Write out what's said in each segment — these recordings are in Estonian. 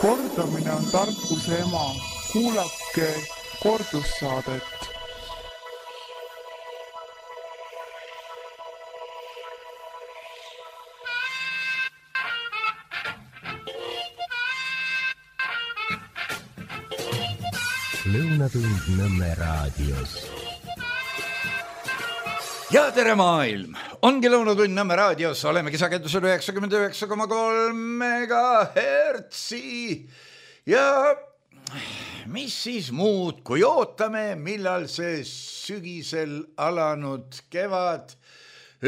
Kordamine on tarkuse ema. Kuulake kordussaadet. Lõunatund Nõmme raadios. Ja tere maailm! Ongi Lõunatund Nõmme raadios, olemegi sagedusel 99,3 megahertsi. Ja mis siis muud, kui ootame, millal see sügisel alanud kevad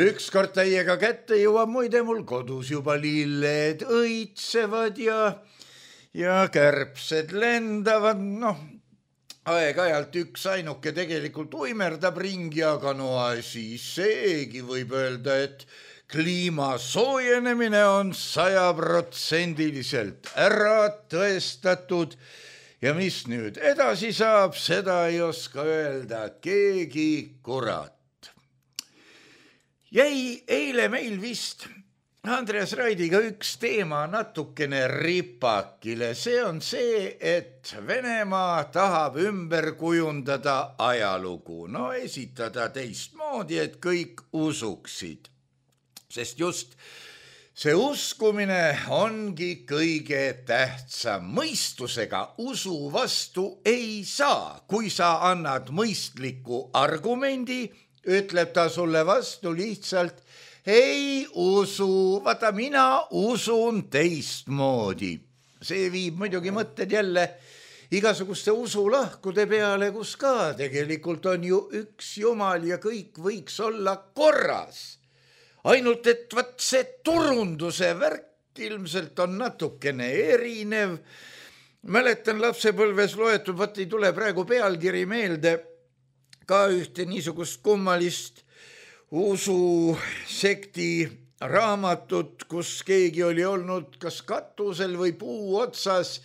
ükskord täiega kätte jõuab. Muide, mul kodus juba lilled õitsevad ja kärbsed lendavad, aeg-ajalt üks ainuke tegelikult uimerdab ringi, aga siis seegi võib öelda, et kliima soojenemine on 100% ära tõestatud. Ja mis nüüd edasi saab, seda ei oska öelda keegi kurat. Jäi eile meil vist Andreas Raidiga üks teema natukene ripakile. See on see, et Venemaa tahab ümber kujundada ajalugu. Esitada teistmoodi, et kõik usuksid. Sest just see uskumine ongi kõige tähtsam. Mõistusega usu vastu ei saa. Kui sa annad mõistliku argumendi, ütleb ta sulle vastu lihtsalt ei usu, vaata mina usun teistmoodi. See viib muidugi mõtted jälle igasuguste usulahkude peale, kus ka tegelikult on ju üks Jumal ja kõik võiks olla korras. Ainult et see turunduse värk ilmselt on natukene erinev. Mäletan lapsepõlves loetud, ei tule praegu pealkiri meelde, ka ühte niisugust kummalist ususekti raamatut, kus keegi oli olnud kas katusel või puu otsas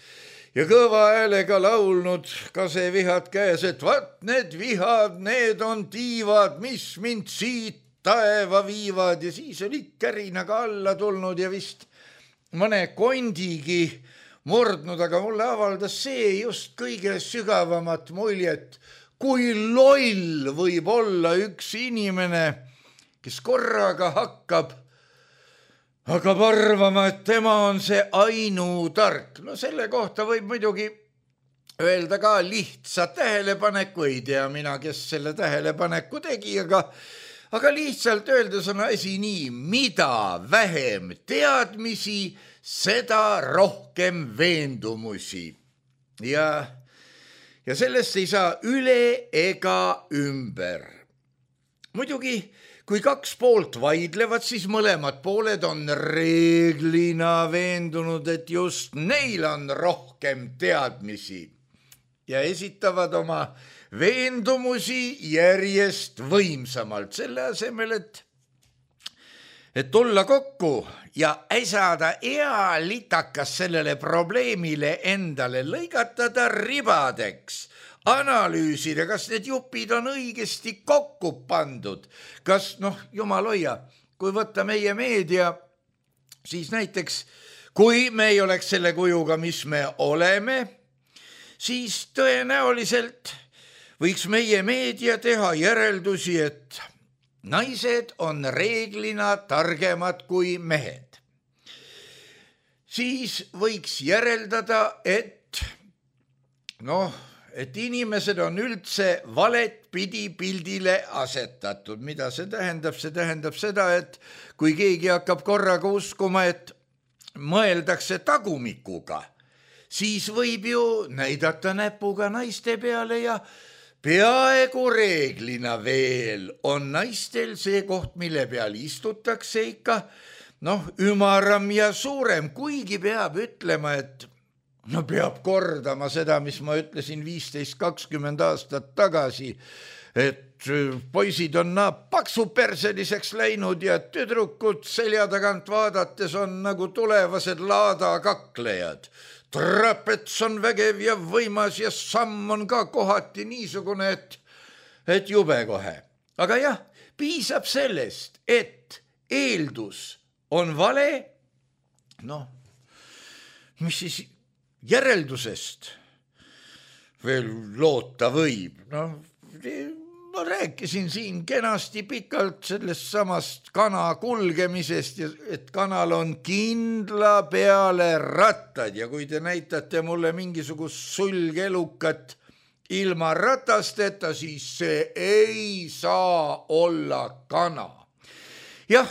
ja kõva häälega laulnud, ka see vihad käes, et vaat need vihad, need on tiivad, mis mind siit taeva viivad. Ja siis oli kärinaga alla tulnud ja vist mõne kondigi murdnud, aga mulle avaldas see just kõige sügavamat muljet, kui loll võib olla üks inimene, kes korraga hakkab arvama, et tema on see ainutark. Selle kohta võib muidugi öelda ka lihtsa tähelepaneku, ei tea mina, kes selle tähelepaneku tegi, aga lihtsalt öeldes on asi nii, mida vähem teadmisi, seda rohkem veendumusi. Ja sellest ei saa üle ega ümber. Muidugi, kui kaks poolt vaidlevad, siis mõlemad pooled on reeglina veendunud, et just neil on rohkem teadmisi ja esitavad oma veendumusi järjest võimsamalt, selle asemel, et tulla kokku ja äsada hea litakas sellele probleemile endale, lõigatada ribadeks, analüüsida, kas need jupid on õigesti kokku pandud, kas, jumal hoia, kui võtta meie meedia, siis näiteks, kui me ei oleks selle kujuga, mis me oleme, siis tõenäoliselt võiks meie meedia teha järeldusi, et naised on reeglina targemad kui mehed. Siis võiks järeldada, et inimesed on üldse valet pidi pildile asetatud. Mida see tähendab? See tähendab seda, et kui keegi hakkab korraga uskuma, et mõeldakse tagumikuga, siis võib ju näidata näpuga naiste peale ja peaaegu reeglina veel on naistel see koht, mille peal istutakse ikka, ümaram ja suurem, kuigi peab ütlema, et peab kordama seda, mis ma ütlesin 15-20 aastat tagasi, et poisid on paksuperseliseks läinud ja tüdrukud selja tagant vaadates on nagu tulevased laadakaklejad. Trapets on vägev ja võimas ja samm on ka kohati niisugune, et jube kohe. Aga jah, piisab sellest, et eeldus on vale, mis siis järeldusest veel loota võib? Ma rääkisin siin kenasti pikalt sellest samast kana kulgemisest, et kanal on kindla peale rattad ja kui te näitate mulle mingisugust sulgelukat ilma ratasteta, siis see ei saa olla kana. Jah,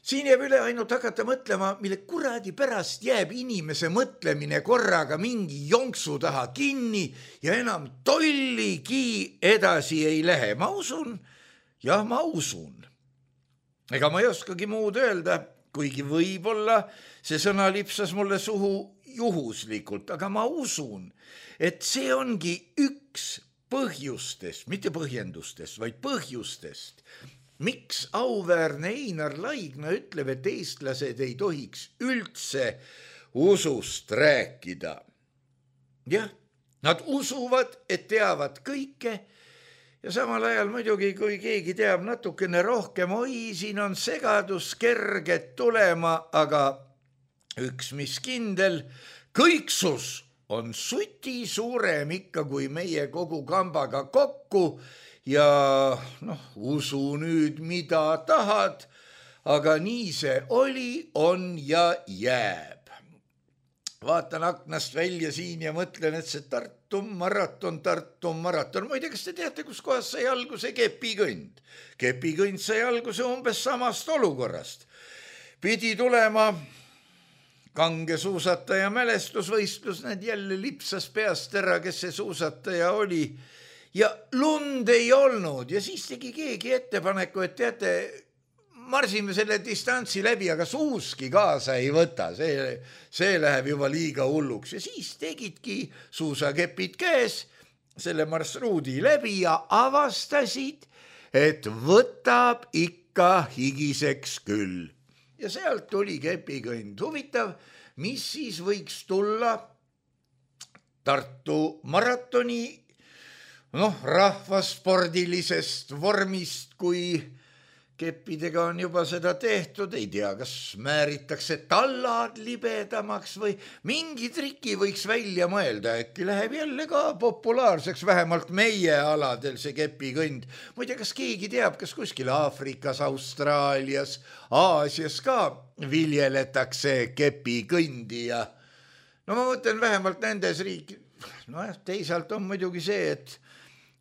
siin jääb üle ainult hakata mõtlema, mille kuradi pärast jääb inimese mõtlemine korraga mingi jonksu taha kinni ja enam tolligi edasi ei lähe. Ma usun. Ega ma ei oskagi muud öelda, kuigi võib-olla see sõna lipsas mulle suhu juhuslikult, aga ma usun, et see ongi üks põhjustest, mitte põhjendustest, vaid põhjustest, miks auväärne Einar Laigna ütleb, et eestlased ei tohiks üldse usust rääkida. Jah, nad usuvad, et teavad kõike ja samal ajal muidugi, kui keegi teab natukene rohkem, siin on segadus kerged tulema, aga üks mis kindel, kõiksus on suti suurem ikka kui meie kogu kambaga kokku ja usu nüüd mida tahad, aga nii see oli, on ja jääb. Vaatan aknast välja siin ja mõtlen, et see Tartu maraton. Muide, kas te teate, kus kohas sai alguse kepikõnd? Kepikõnd sai alguse umbes samast olukorrast. Pidi tulema kange suusataja mälestusvõistlus, need jälle lipsas peast ära, kes see suusataja oli. Ja lund ei olnud ja siis tegi keegi ettepaneku, et teate, marsime selle distantsi läbi, aga suuski kaasa ei võta, see läheb juba liiga hulluks. Ja siis tegidki suusakepid käes selle marsruudi läbi ja avastasid, et võtab ikka higiseks küll. Ja sealt tuli kepikõnd. Huvitav, mis siis võiks tulla Tartu maratoni rahvaspordilisest vormist, kui keppidega on juba seda tehtud, ei tea, kas määritakse tallad libedamaks või mingi triki võiks välja mõelda, äkki läheb jälle ka populaarseks, vähemalt meie aladel see kepikõnd. Muide, kas keegi teab, kas kuskil Aafrikas, Austraalias, Aasias ka viljeletakse kepikõndi ja ma mõtlen vähemalt nendes riik. Teisalt on muidugi see, et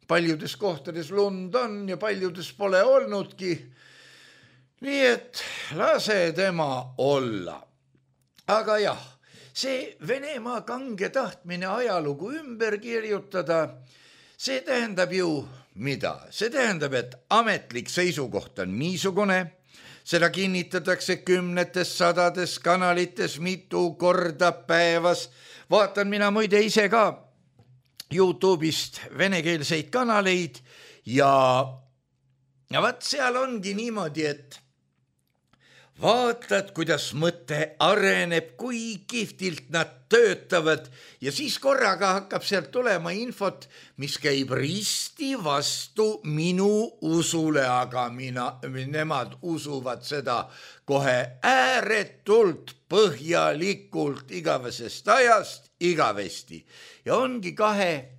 paljudes kohtades lund on ja paljudes pole olnudki. Nii et lase tema olla. Aga jah, see Venemaa kange tahtmine ajalugu ümber kirjutada, see tähendab ju mida? See tähendab, et ametlik seisukoht on niisugune, seda kinnitatakse kümnetes, sadades kanalites mitu korda päevas. Vaatan mina muide ise ka YouTube'ist venekeelseid kanaleid ja vaat seal ongi niimoodi, et vaatad, kuidas mõte areneb, kui kihvtilt nad töötavad ja siis korraga hakkab sealt tulema infot, mis käib risti vastu minu usule, aga nemad usuvad seda kohe ääretult põhjalikult igavesest ajast igavesti. Ja ongi kahe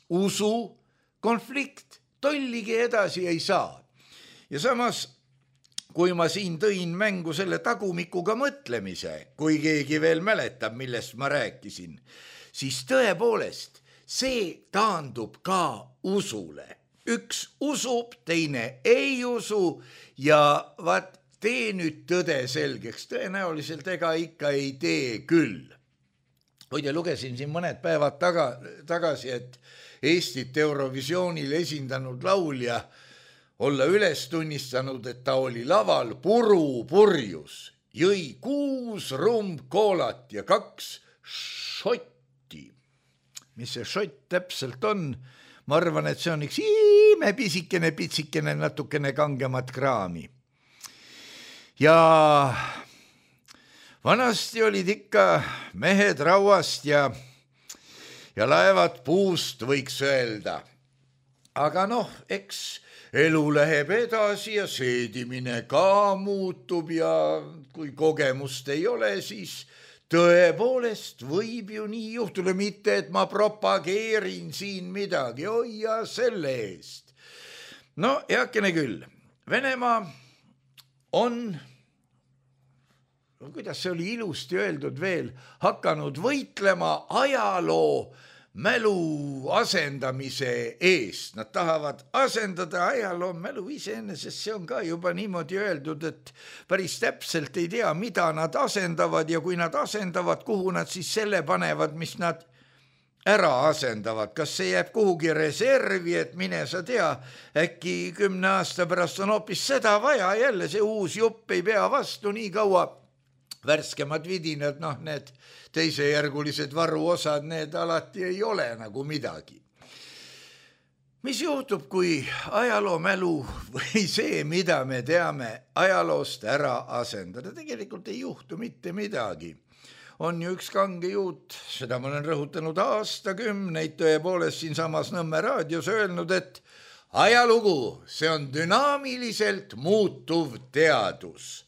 usu konflikt, tolligi edasi ei saa. Ja samas, kui ma siin tõin mängu selle tagumikuga mõtlemise, kui keegi veel mäletab, millest ma rääkisin, siis tõepoolest see taandub ka usule. Üks usub, teine ei usu ja vaat tee nüüd tõde selgeks, tõenäoliselt ega ikka ei tee küll. Hoide lugesin siin mõned päevad tagasi, et Eestit Eurovisioonil esindanud laulja olla üles tunnistanud, et ta oli laval purjus, jõi 6 rumbkoolat ja 2 šotti. Mis see šott täpselt on? Ma arvan, et see on üks pisikene, natukene kangemat kraami. Ja vanasti olid ikka mehed rauast ja laevad puust, võiks öelda. Aga eks elu läheb edasi ja seedimine ka muutub ja kui kogemust ei ole, siis tõepoolest võib ju nii juhtuda, mitte et ma propageerin siin midagi, oi ja selle eest. No heakene küll, Venemaa on, kuidas see oli ilusti öeldud veel, hakanud võitlema ajaloo mälu asendamise eest. Nad tahavad asendada ajaloo mälu iseenesest, see on ka juba niimoodi öeldud, et päris täpselt ei tea, mida nad asendavad ja kui nad asendavad, kuhu nad siis selle panevad, mis nad ära asendavad. Kas see jääb kuhugi reservi, et mine sa tea, äkki 10 aasta pärast on hoopis seda vaja, jälle see uus jupp ei pea vastu nii kaua. Värskemad vidinad, need teisejärgulised varuosad, need alati ei ole nagu midagi. Mis juhtub, kui ajaloo mälu või see, mida me teame ajaloost ära asendada? Tegelikult ei juhtu mitte midagi. On ju üks kange juut, seda ma olen rõhutanud aastakümneid tõepoolest siinsamas Nõmme raadios öelnud, et ajalugu, see on dünaamiliselt muutuv teadus.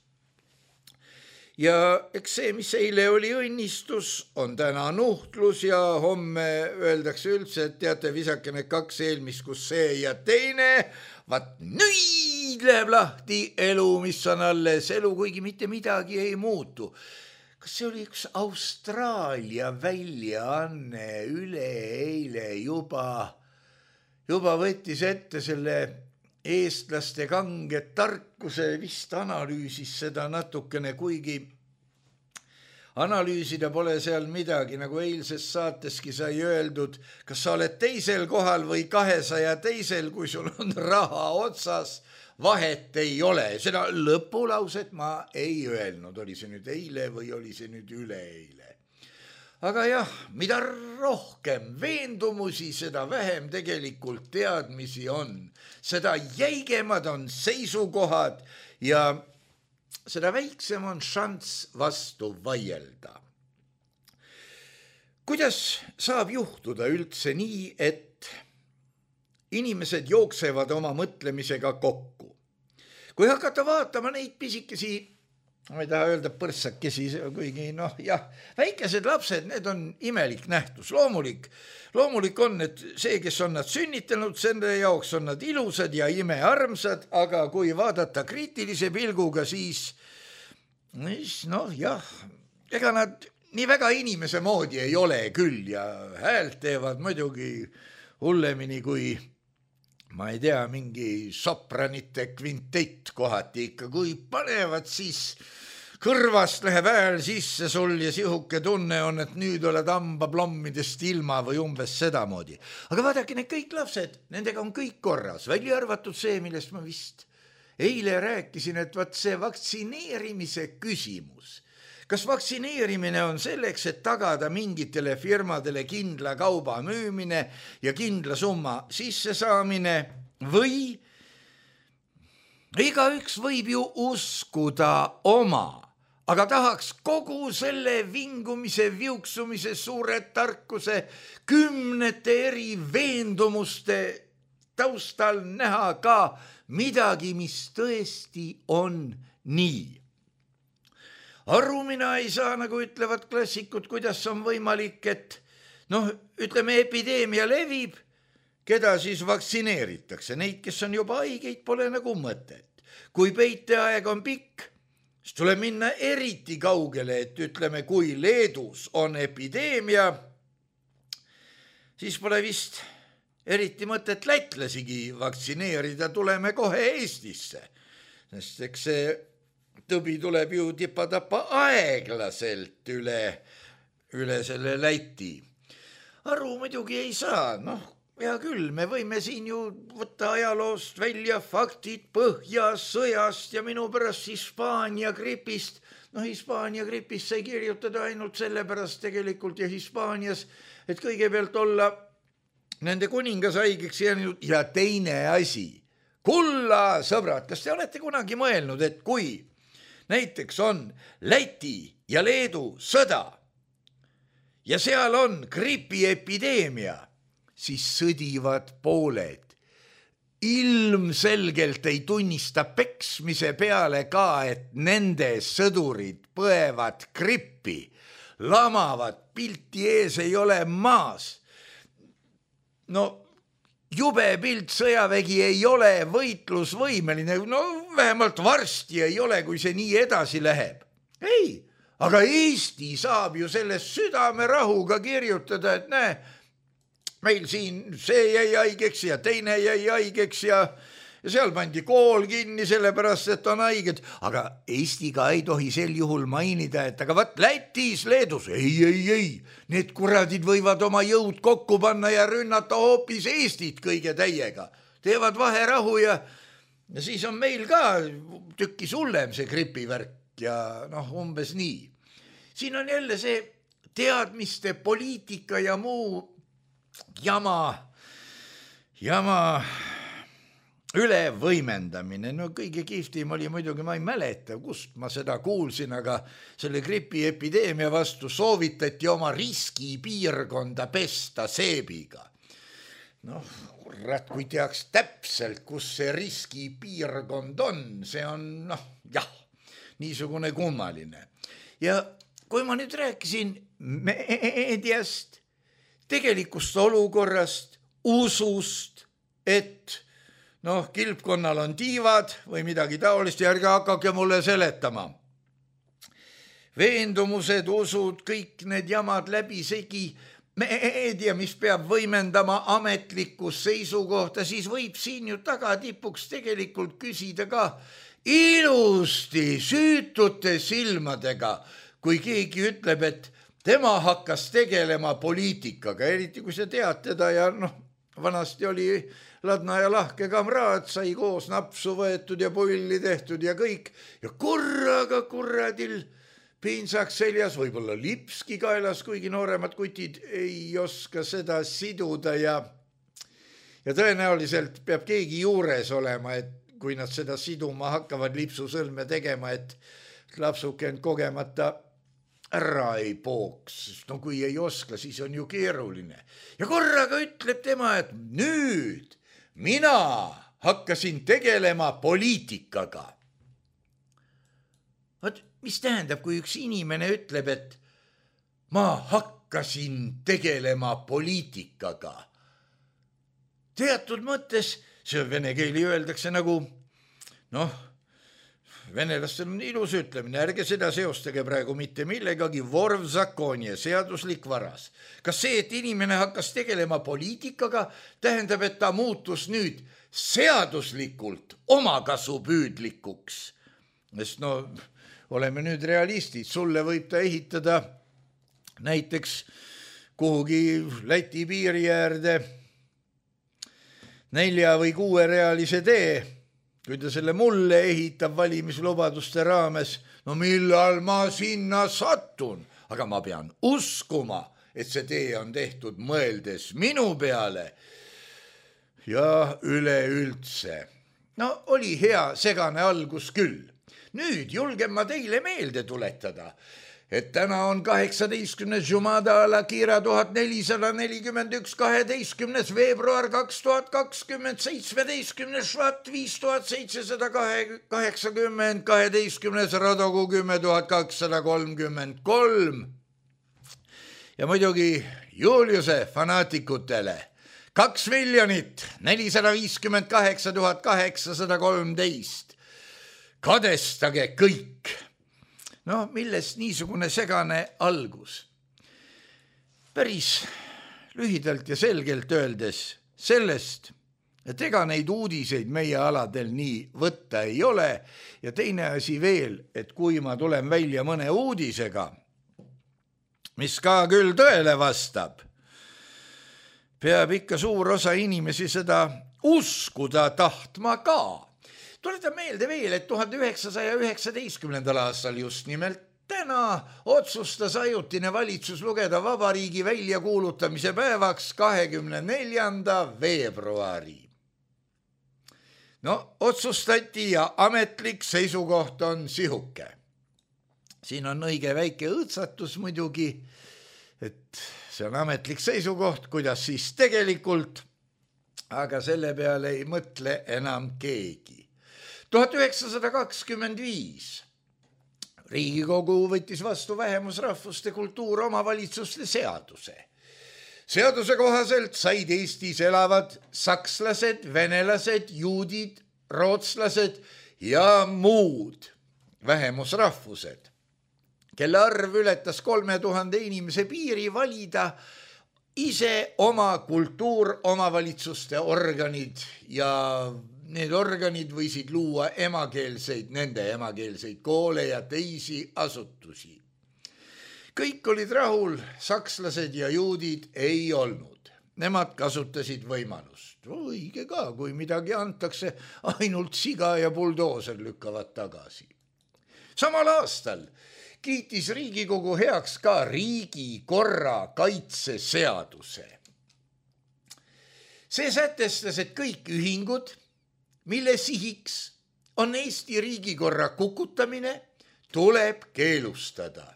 Ja eks see, mis eile oli õnnistus, on täna nuhtlus ja homme öeldakse üldse, et teate, visake need 2 eelmist, kus see ja teine, vaat nüüd läheb lahti elu, mis on alles elu, kuigi mitte midagi ei muutu. Kas see oli üks Austraalia väljaanne üleeile juba võttis ette selle eestlaste kange tarkuse, vist analüüsis seda natukene, kuigi analüüsida pole seal midagi, nagu eilses saateski sai öeldud, kas sa oled 2. kohal või 200 teisel, kui sul on raha otsas, vahet ei ole. Seda lõpulauset ma ei öelnud, oli see nüüd eile või oli see nüüd üleeile. Aga jah, mida rohkem veendumusi, seda vähem tegelikult teadmisi on. Seda jäigemad on seisukohad ja seda väiksem on šanss vastu vaielda. Kuidas saab juhtuda üldse nii, et inimesed jooksevad oma mõtlemisega kokku? Kui hakata vaatama neid pisikesi, ma ei taha öelda põrssakesi, kuigi väikesed lapsed, need on imelik nähtus. Loomulik on, et see, kes on nad sünnitanud, selle jaoks on nad ilusad ja imearmsad, aga kui vaadata kriitilise pilguga, siis ega nad nii väga inimese moodi ei ole küll ja häält teevad muidugi hullemini kui ma ei tea, mingi sopranite kvintett kohati ikka, kui panevad, siis kõrvast läheb hääl sisse sul ja sihuke tunne on, et nüüd oled hambaplommidest ilma või umbes sedamoodi. Aga vaadake, need kõik lapsed, nendega on kõik korras, välja arvatud see, millest ma vist eile rääkisin, et vaat see vaktsineerimise küsimus. Kas vaktsineerimine on selleks, et tagada mingitele firmadele kindla kauba müümine ja kindla summa sissesaamine või igaüks võib ju uskuda oma, aga tahaks kogu selle vingumise, viuksumise, suure tarkuse, 10 eri veendumuste taustal näha ka midagi, mis tõesti on nii. Aru mina ei saa, nagu ütlevad klassikud, kuidas on võimalik, et ütleme, epideemia levib, keda siis vaktsineeritakse. Neid, kes on juba haigeid, pole nagu mõtet. Kui peiteaeg on pikk, siis tuleb minna eriti kaugele, et ütleme, kui Leedus on epideemia, siis pole vist eriti mõtet lätlasigi vaktsineerida, tuleme kohe Eestisse. Sest eks see tõbi tuleb ju tipa-tapa aeglaselt üle selle Läti. Aru muidugi ei saa, hea küll, me võime siin ju võtta ajaloost välja faktid Põhjasõjast ja minu pärast Hispaania gripist. Hispaania gripist sai kirjutada ainult sellepärast tegelikult ja Hispaanias, et kõigepealt olla nende kuningas haigeks jäänud ja teine asi. Kulla sõbrad, kas te olete kunagi mõelnud, et kui näiteks on Läti ja Leedu sõda ja seal on gripiepideemia, siis sõdivad pooled. Ilmselgelt ei tunnista peksmise peale ka, et nende sõdurid põevad grippi, lamavad, pilti ees ei ole maas. No jube pilt, sõjavägi ei ole võitlusvõimeline, no vähemalt varsti ei ole, kui see nii edasi läheb. Ei, aga Eesti saab ju sellest südamerahuga kirjutada, et näe, meil siin see jäi haigeks ja teine jäi haigeks ja seal pandi kool kinni sellepärast, et on haiged, aga Eestiga ei tohi sel juhul mainida, et aga vaat Lätis, Leedus, ei, need kuradid võivad oma jõud kokku panna ja rünnata hoopis Eestit kõige täiega. Teevad vaherahu ja siis on meil ka tükkis hullem see gripivärk ja umbes nii. Siin on jälle see teadmiste, poliitika ja muu jama ülevõimendamine. No kõige kihvtim oli muidugi, ma ei mäleta, kust ma seda kuulsin, aga selle gripiepideemia vastu soovitati oma riskipiirkonda pesta seebiga. Kurat, kui teaks täpselt, kus see riskipiirkond on, see on, niisugune kummaline. Ja kui ma nüüd rääkisin meediast, tegelikust olukorrast, usust, et kilpkonnal on tiivad või midagi taolist, ja ärge hakake mulle seletama. Veendumused, usud, kõik need jamad läbisegi, meedia, mis peab võimendama ametlikkus seisukohta, siis võib siin ju tagatipuks tegelikult küsida ka ilusti süütute silmadega, kui keegi ütleb, et tema hakkas tegelema poliitikaga, eriti kui sa tead teda ja vanasti oli ladna ja lahke kamraad, sai koos napsu võetud ja pulli tehtud ja kõik. Ja korraga kuradil piinsaks seljas, võib-olla lipski kaelas, kuigi nooremad kutid ei oska seda siduda ja tõenäoliselt peab keegi juures olema, et kui nad seda siduma hakkavad lipsusõlme tegema, et lapsuke end kogemata ära ei pooks. Kui ei oska, siis on ju keeruline. Ja korraga ütleb tema, et nüüd mina hakkasin tegelema poliitikaga. Mis tähendab, kui üks inimene ütleb, et ma hakkasin tegelema poliitikaga? Teatud mõttes, see vene keeli öeldakse nagu, venelastel on ilus ütlemine, ärge seda seostage praegu mitte millegagi, vorv zakonje, seaduslik varas. Kas see, et inimene hakkas tegelema poliitikaga, tähendab, et ta muutus nüüd seaduslikult omakasupüüdlikuks? Sest oleme nüüd realistid, sulle võib ta ehitada näiteks kuhugi Läti piiri äärde 4 või 6 reaalise tee. Kui ta selle mulle ehitab valimislubaduste raames, millal ma sinna satun, aga ma pean uskuma, et see tee on tehtud mõeldes minu peale ja üleüldse. Oli hea segane algus küll. Nüüd julgen ma teile meelde tuletada, et täna on 18. Jumada al-Akhira 1441, 12. veebruar 2020, 17. Švat 5780, 12. Radogu 10233. Ja muidugi Juliuse fanaatikutele 2 458 813. Kadestage kõik. Millest niisugune segane algus? Päris lühidalt ja selgelt öeldes sellest, et ega neid uudiseid meie aladel nii võtta ei ole ja teine asi veel, et kui ma tulen välja mõne uudisega, mis ka küll tõele vastab, peab ikka suur osa inimesi seda uskuda tahtma ka. Tuletan meelde veel, et 1919. aastal just nimelt täna otsustas ajutine valitsus lugeda vabariigi väljakuulutamise päevaks 24. veebruari. Otsustati ja ametlik seisukoht on sihuke. Siin on õige väike õõtsatus muidugi, et see on ametlik seisukoht, kuidas siis tegelikult, aga selle peale ei mõtle enam keegi. 1925 Riigikogu võttis vastu vähemusrahvuste kultuur omavalitsuste seaduse. Seaduse kohaselt said Eestis elavad sakslased, venelased, juudid, rootslased ja muud vähemusrahvused, kelle arv ületas 3000 inimese piiri, valida ise oma kultuur, omavalitsuste organid ja need organid võisid luua nende emakeelseid koole ja teisi asutusi. Kõik olid rahul, sakslased ja juudid ei olnud. Nemad kasutasid võimalust. Õige ka, kui midagi antakse, ainult siga ja buldooser lükkavad tagasi. Samal aastal kiitis Riigikogu heaks ka riigikorra kaitseseaduse. See sätestas, et kõik ühingud, mille sihiks on Eesti riigikorra kukutamine, tuleb keelustada.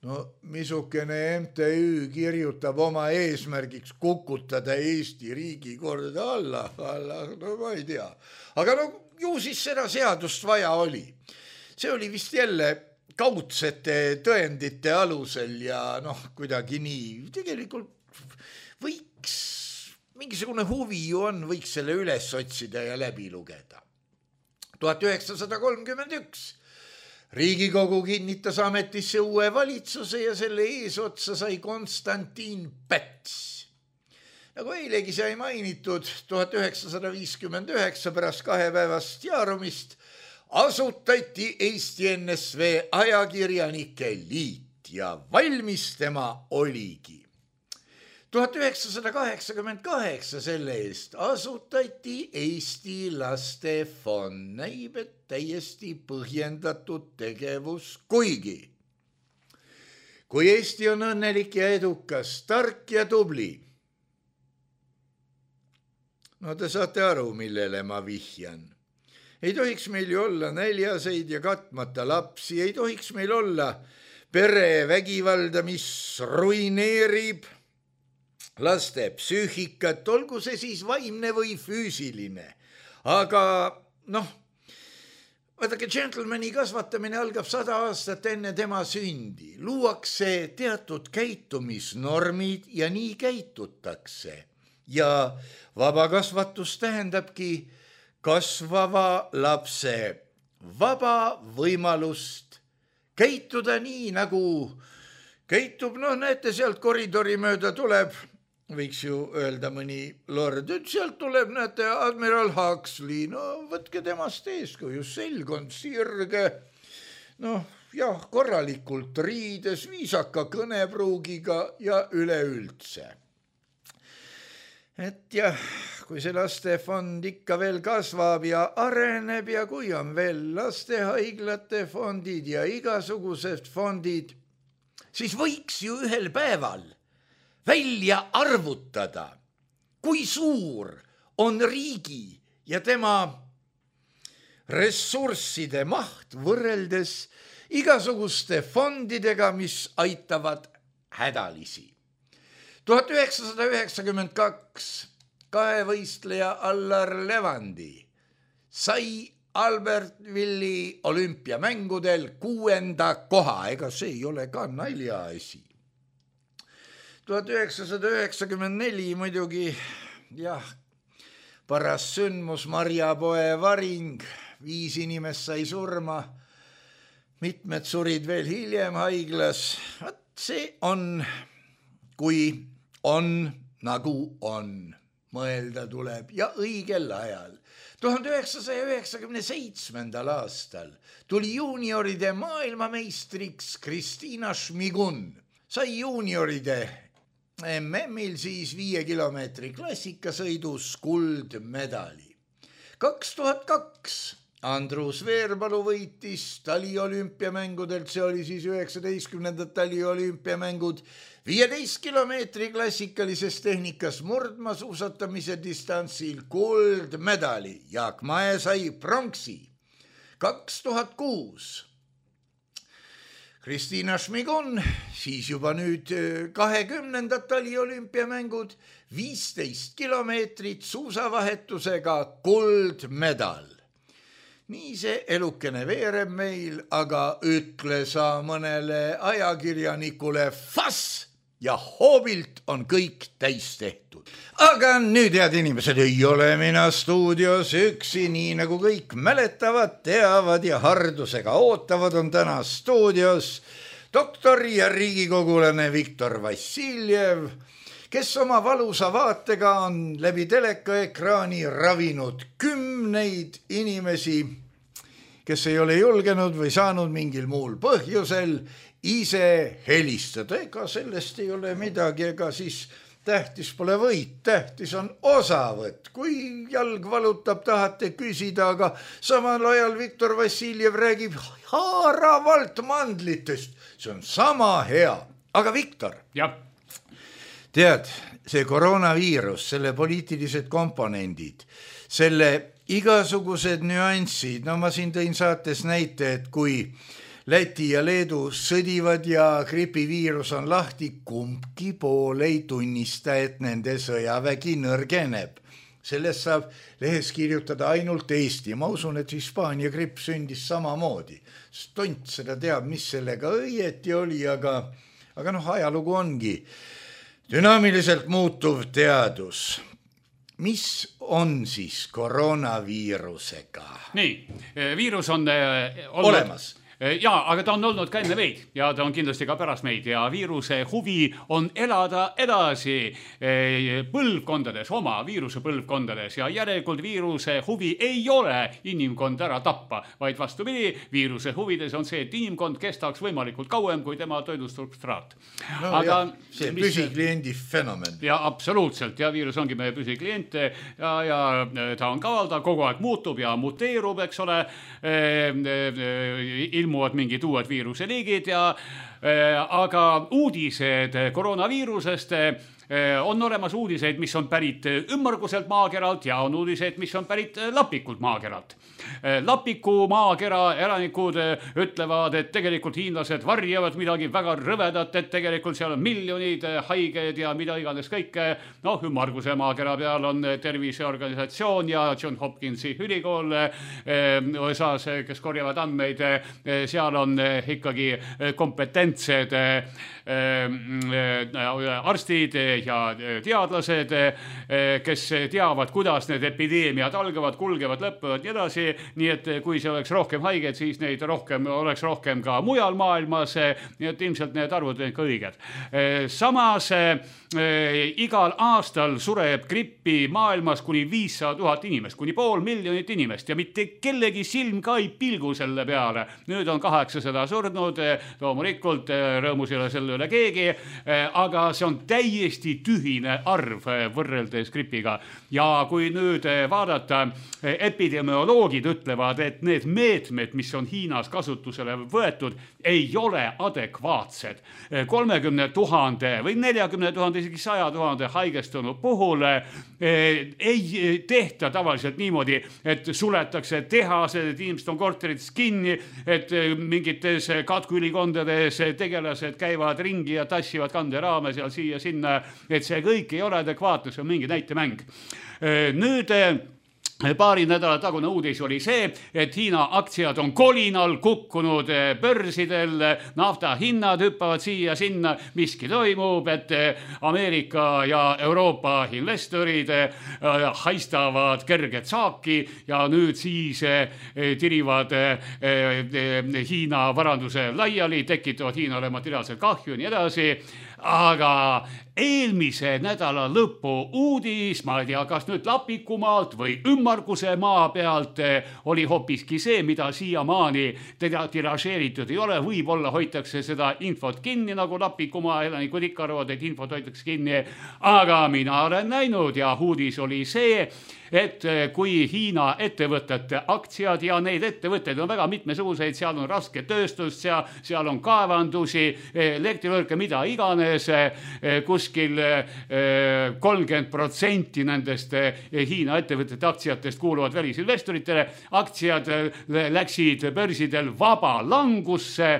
No missugune MTÜ kirjutab oma eesmärgiks kukutada Eesti riigikorda alla, no ma ei tea. Aga no ju siis seda seadust vaja oli. See oli vist jälle kaudsete tõendite alusel ja kuidagi nii. Tegelikult võiks, mingisugune huvi ju on, võiks selle üles otsida ja läbi lugeda. 1931 Riigikogu kinnitas ametisse uue valitsuse ja selle eesotsa sai Konstantin Päts. Nagu eilegi sai mainitud, 1959 pärast 2 päevast jaarumist asutati Eesti NSV ajakirjanike liit ja valmis tema oligi. 1988 selle eest asutati Eesti Lastefond, näib, et täiesti põhjendatud tegevus, kuigi kui Eesti on õnnelik ja edukas, tark ja tubli. No te saate aru, millele ma vihjan. Ei tohiks meil ju olla näljaseid ja katmata lapsi, ei tohiks meil olla perevägivalda, mis ruineerib laste psüühikat, olgu see siis vaimne või füüsiline. Aga vaadake, gentlemani kasvatamine algab 100 aastat enne tema sündi. Luuakse teatud käitumisnormid ja nii käitutakse. Ja vaba kasvatus tähendabki kasvava lapse vaba võimalust käituda nii, nagu käitub, näete, sealt koridori mööda tuleb, võiks ju öelda mõni lord, et sealt tuleb, näete, admiral Huxley, võtke temast eeskuju, selgond sirge, korralikult riides, viisaka kõnepruugiga ja üleüldse. Et jah, kui see lastefond ikka veel kasvab ja areneb ja kui on veel lastehaiglate fondid ja igasugused fondid, siis võiks ju ühel päeval välja arvutada, kui suur on riigi ja tema ressursside maht võrreldes igasuguste fondidega, mis aitavad hädalisi. 1992 kahevõistleja Allar Levandi sai Albertvilli olümpiamängudel 6. koha, ega see ei ole ka naljaasi. 1994 muidugi, paras sündmus Marjapoe varing, 5 inimest sai surma, mitmed surid veel hiljem haiglas. See on, kui on, nagu on, mõelda tuleb ja õigel ajal. 1997. aastal tuli juunioride maailmameistriks Kristina Šmigun, sai juunioride MM-il siis 5 kilomeetri klassikasõidus kuldmedali. 2002 Andrus Veerpalu võitis taliolümpiamängudelt, see oli siis 19. taliolümpiamängud, 15 kilomeetri klassikalises tehnikas murdmaasuusatamise distantsil kuldmedali. Jaak Mae sai pronksi. 2006 Kristina Šmigun, siis juba nüüd 20. taliolümpiamängud, 15 kilomeetrit suusavahetusega kuldmedal. nii see elukene veereb meil, aga ütle sa mõnele ajakirjanikule fass ja hoobilt on kõik täis tehtud. Aga nüüd, head inimesed, ei ole mina stuudios üksi, nii nagu kõik mäletavad, teavad ja hardusega ootavad, on täna stuudios doktor ja riigikogulane Viktor Vassiljev, kes oma valusa vaatega on läbi telekaekraani ravinud kümneid inimesi, kes ei ole julgenud või saanud mingil muul põhjusel ise helistada. Ega sellest ei ole midagi, ega siis tähtis pole võit, tähtis on osavõtt. Kui jalg valutab, tahate küsida, aga samal ajal Viktor Vassiljev räägib haaravalt mandlitest. See on sama hea. Aga Viktor, tead, see koroonaviirus, selle poliitilised komponendid, selle igasugused nüansid, no ma siin tõin saates näite, et kui Läti ja Leedu sõdivad ja gripiviirus on lahti, kumbki pool ei tunnista, et nende sõjavägi nõrgeneb. Sellest saab lehes kirjutada ainult Eesti. Ma usun, et Hispaania gripp sündis samamoodi. Tont seda teab, mis sellega õieti oli, aga ajalugu ongi dünaamiliselt muutuv teadus. Mis on siis koroonaviirusega? Nii, viirus on olemas. Jaa, aga ta on olnud ka enne meid ja ta on kindlasti ka pärast meid ja viiruse huvi on elada edasi põlvkondades, oma viiruse põlvkondades ja järelikult viiruse huvi ei ole inimkond ära tappa, vaid vastupidi, viiruse huvides on see, et inimkond kestaks võimalikult kauem kui tema toidusubstraat. No, aga see püsikliendi fenomen. Ja absoluutselt, ja viirus ongi meie püsiklient ja ta on kaval, ta kogu aeg muutub ja muteerub, eks ole, ilmuvad mingid uued viiruse liigid aga uudised koroonaviirusest on olemas uudiseid, mis on pärit ümmarguselt maakeralt ja on uudiseid, mis on pärit lapikult maakeralt. Lapiku maakera elanikud ütlevad, et tegelikult hiinlased varjavad midagi väga rõvedat, et tegelikult seal on miljonid haiged ja mida iganes kõike. Ümmarguse maakera peal on terviseorganisatsioon ja John Hopkinsi ülikool USA-s, kes korjavad andmeid, seal on ikkagi kompetentsed arstid ja teadlased, kes teavad, kuidas need epideemiad algavad, kulgevad, lõppevad ja edasi. Nii et kui see oleks rohkem haiged, siis neid oleks rohkem ka mujal maailmas, nii et ilmselt need arvud on ka õiged. Samas igal aastal sureb grippi maailmas kuni 500 000 inimest, kuni 500 000 inimest ja mitte kellegi silm ka ei pilgu selle peale. Nüüd on 800 surnud, loomulikult rõõmus ei ole selle üle keegi, aga see on täiesti tühine arv võrreldes gripiga. Ja kui nüüd vaadata, epidemioloogid ütlevad, et need meetmed, mis on Hiinas kasutusele võetud, ei ole adekvaatsed. 30 000 või 40 000, isegi 100 000 haigestunud puhul ei tehta tavaliselt niimoodi, et suletakse tehased, et inimesed on korterites kinni, et mingites katkuülikondades tegelased käivad ringi ja tassivad kanderaame seal siia sinna, et see kõik ei ole adekvaatne, see on mingi näitemäng. Nüüd paari nädala tagune uudis oli see, et Hiina aktsiad on kolinal kukkunud börsidel, nafta hinnad hüppavad siia sinna, miski toimub, et Ameerika ja Euroopa investorid haistavad kerget saaki ja nüüd siis tirivad Hiina varanduse laiali, tekitavad Hiinale materiaalselt kahju ja nii edasi. Aga eelmise nädala lõpu uudis, ma ei tea, kas nüüd Lapikumaalt või ümmarguse maa pealt, oli hoopiski see, mida siiamaani tiražeeritud ei ole. Võib-olla hoitakse seda infot kinni, nagu Lapikumaa elanikud ikka arvavad, et infot hoitakse kinni. Aga mina olen näinud ja uudis oli see, et kui Hiina ettevõtete aktsiad ja neid ettevõtteid on väga mitmesuguseid, seal on raske tööstus, seal on kaevandusi, elektrivõrke, mida iganes, kuskil 30% nendest Hiina ettevõtete aktsiatest kuuluvad välisinvestoritele. Aktsiad läksid börsidel vaba langusse,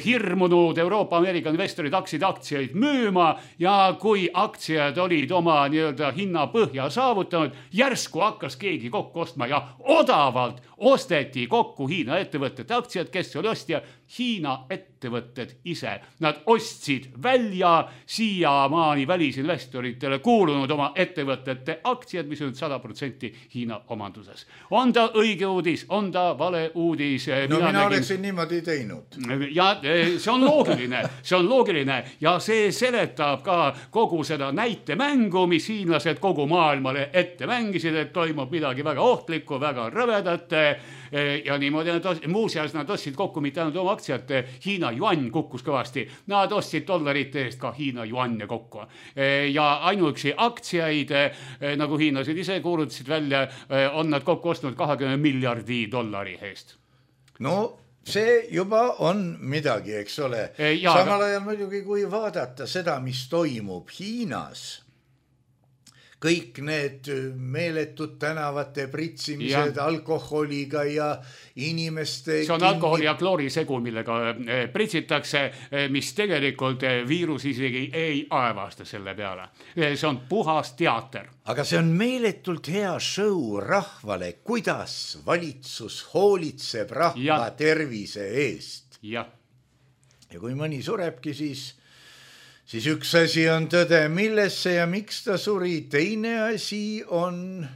hirmunud Euroopa Ameerika investorid aktsiaid müüma ja kui aktsiad olid oma nii-öelda hinna põhja saavutanud, järsku järsku hakkas keegi kokku ostma ja odavalt osteti kokku Hiina ettevõtete aktsiad, kes oli ostja, Hiina ettevõtted ise. Nad ostsid välja siiamaani välisinvestoritele kuulunud oma ettevõtete aktsiad, mis on 100% Hiina omanduses. On ta õige uudis, on ta vale uudis? No mina oleksin niimoodi teinud. Ja see on loogiline ja see seletab ka kogu seda näitemängu, mis hiinlased kogu maailmale ette mängisid, et toimub midagi väga ohtlikku, väga rõvedat ja niimoodi muuseas nad ostsid kokku mitte ainult oma aktsiat, Hiina yuan kukkus kõvasti, nad ostsid dollarite eest ka Hiina yuanne kokku ja ainuüksi aktsiaid, nagu hiinlased ise kuulutasid välja, on nad kokku ostnud 20 miljardi dollari eest. No see juba on midagi, eks ole. Samal ajal muidugi, kui vaadata seda, mis toimub Hiinas, kõik need meeletud tänavate pritsimised alkoholiga ja inimeste... See on alkoholi ja kloorisegu, millega pritsitakse, mis tegelikult viirus isegi ei aevasta selle peale. See on puhas teater. Aga see on meeletult hea show rahvale, kuidas valitsus hoolitseb rahva tervise eest. Ja kui mõni surebki, siis üks asi on tõde, millesse ja miks ta suri, teine asi on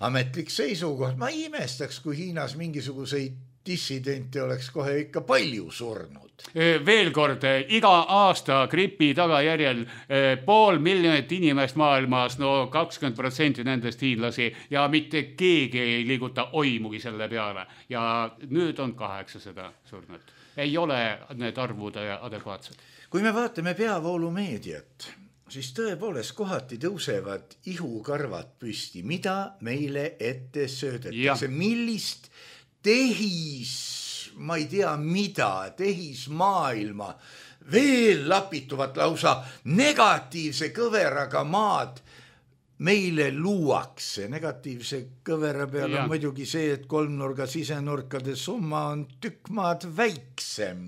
ametlik seisukoht. Ma ei imestaks, kui Hiinas mingisuguseid dissidente oleks kohe ikka palju surnud. Veel kord, iga aasta gripi tagajärjel 500 000 inimest maailmas, no 20% nendest hiinlasi ja mitte keegi ei liiguta oimugi selle peale. Ja nüüd on 800 surnud. Ei ole need arvud adekvaatsed. Kui me vaatame peavoolumeediat, siis tõepoolest kohati tõusevad ihukarvad püsti, mida meile ette söödetakse. Millist ma ei tea mida, tehismaailma, veel lapituvat lausa negatiivse kõveraga maad meile luuakse. Negatiivse kõvera peal on muidugi see, et kolmnurga sisenurkade summa on tükk maad väiksem,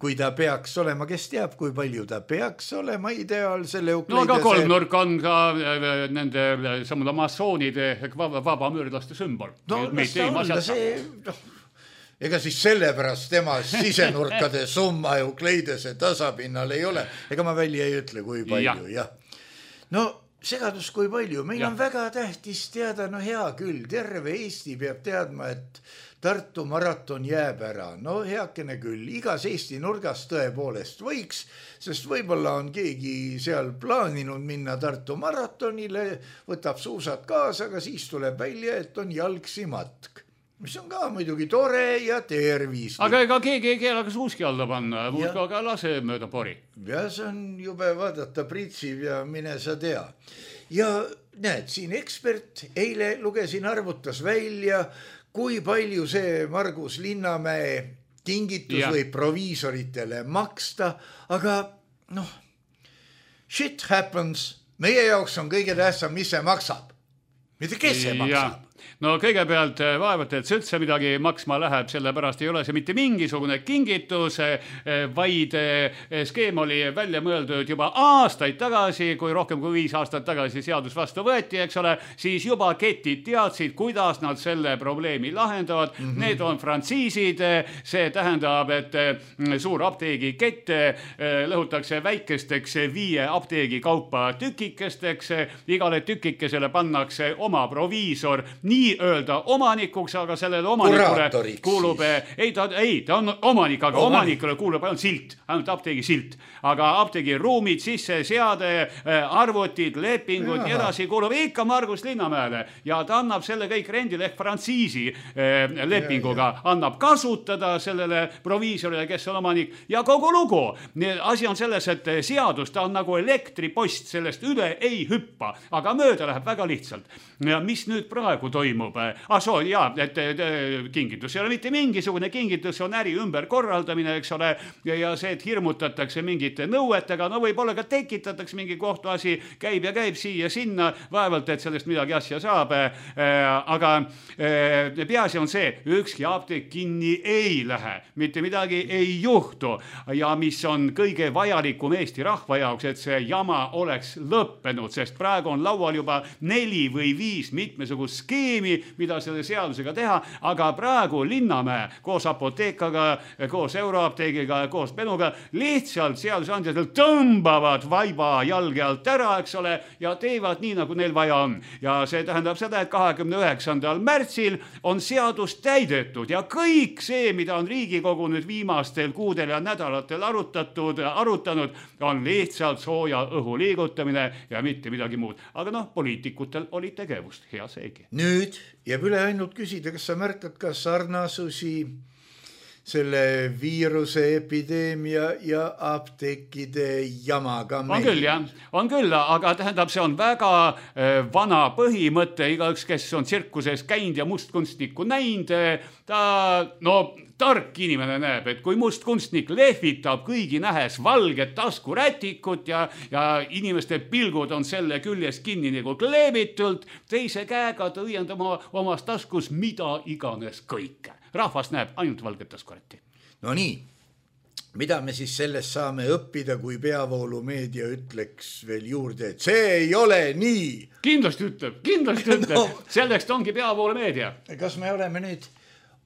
kui ta peaks olema. Kes teab, kui palju ta peaks olema ideaalsele Eukleidese... No aga kolmnurk on ka nende samade massoonide vabamüürlaste sümbol. No las ta olla see... Ega siis sellepärast tema sisenurkade summa Eukleidese tasapinnal ei ole. Ega ma välja ei ütle, kui palju. Ja. No segadus kui palju. Meil on väga tähtis teada, no hea küll, terve Eesti peab teadma, et Tartu maraton jääb ära. No heakene küll, igas Eesti nurgas tõepoolest võiks, sest võib-olla on keegi seal plaaninud minna Tartu maratonile, võtab suusad kaasa, aga siis tuleb välja, et on jalgsi matk. Mis on ka muidugi tore ja tervislik. Aga ega keegi ei keela ka suuski alla panna, aga lase mööda pori. Ja see on jube vaadata pritsiv ja mine sa tea. Ja näed, siin ekspert eile lugesin arvutas välja, kui palju see Margus Linnamäe kingitus võib proviisoritele maksta, aga noh, shit happens. Meie jaoks on kõige tähtsam, mis see maksab. Mitte kes see maksab. No kõigepealt vaevalt, et see üldse midagi maksma läheb, sellepärast ei ole see mitte mingisugune kingitus, vaid skeem oli välja mõeldud juba aastaid tagasi, kui rohkem kui 5 aastat tagasi seadus vastu võeti, eks ole, siis juba ketid teadsid, kuidas nad selle probleemi lahendavad. Need on frantsiisid, see tähendab, et suur apteegikett lõhutakse väikesteks 5 apteegi kaupa tükikesteks, igale tükikesele pannakse oma proviisor, nii öelda omanikuks, aga sellele omanikule kuulub, ta on omanik, aga omanikule kuulub ainult silt, ainult apteegi silt, aga apteegi ruumid, sisse seade, arvutid, lepingud ja edasi kuulub ikka Margus Linnamäele ja ta annab selle kõik rendile ehk frantsiisi lepinguga, annab kasutada sellele proviisorile, kes on omanik ja kogu lugu. Asi on selles, et seadus, ta on nagu elektripost, sellest üle ei hüppa, aga mööda läheb väga lihtsalt. Ja mis nüüd praegu toimub? toimub? Et kingitus ei ole mitte mingisugune kingitus, on äri ümberkorraldamine, eks ole, ja see, et hirmutatakse mingite nõuetega, no võib-olla ka tekitatakse mingi kohtuasi, käib siia-sinna, vaevalt, et sellest midagi asja saab, aga peaasi on see, ükski apteek kinni ei lähe, mitte midagi ei juhtu ja mis on kõige vajalikum Eesti rahva jaoks, et see jama oleks lõppenud, sest praegu on laual juba 4 või 5 mitmesugust skeemi, mida selle seadusega teha, aga praegu Linnamäe koos apoteekaga, koos Euroapteegiga, koos Benuga lihtsalt seadusandjatelt tõmbavad vaiba jalge alt ära, eks ole, ja teevad nii, nagu neil vaja on. Ja see tähendab seda, et 29. märtsil on seadus täidetud ja kõik see, mida on Riigikogu nüüd viimastel kuudel ja nädalatel arutanud, on lihtsalt sooja õhu liigutamine ja mitte midagi muud. Aga poliitikutel oli tegevust, hea seegi. Nüüd jääb üle ainult küsida, kas sa märkad ka sarnasusi selle viiruse epideemia ja apteekide jamaga meil? On küll, jah. On küll, aga tähendab, see on väga vana põhimõte. Igaüks, kes on tsirkuses käinud ja mustkunstnikku näinud, tark inimene näeb, et kui mustkunstnik lehvitab kõigi nähes valget taskurätikut ja inimeste pilgud on selle küljest kinni nagu kleebitult, teise käega ta õiendab omas taskus mida iganes kõike. Rahvas näeb ainult valget taskurätti. No nii, mida me siis sellest saame õppida, kui peavoolumeedia ütleks veel juurde, et see ei ole nii? Kindlasti ütleb. Selleks ongi peavoolumeedia. Kas me oleme nüüd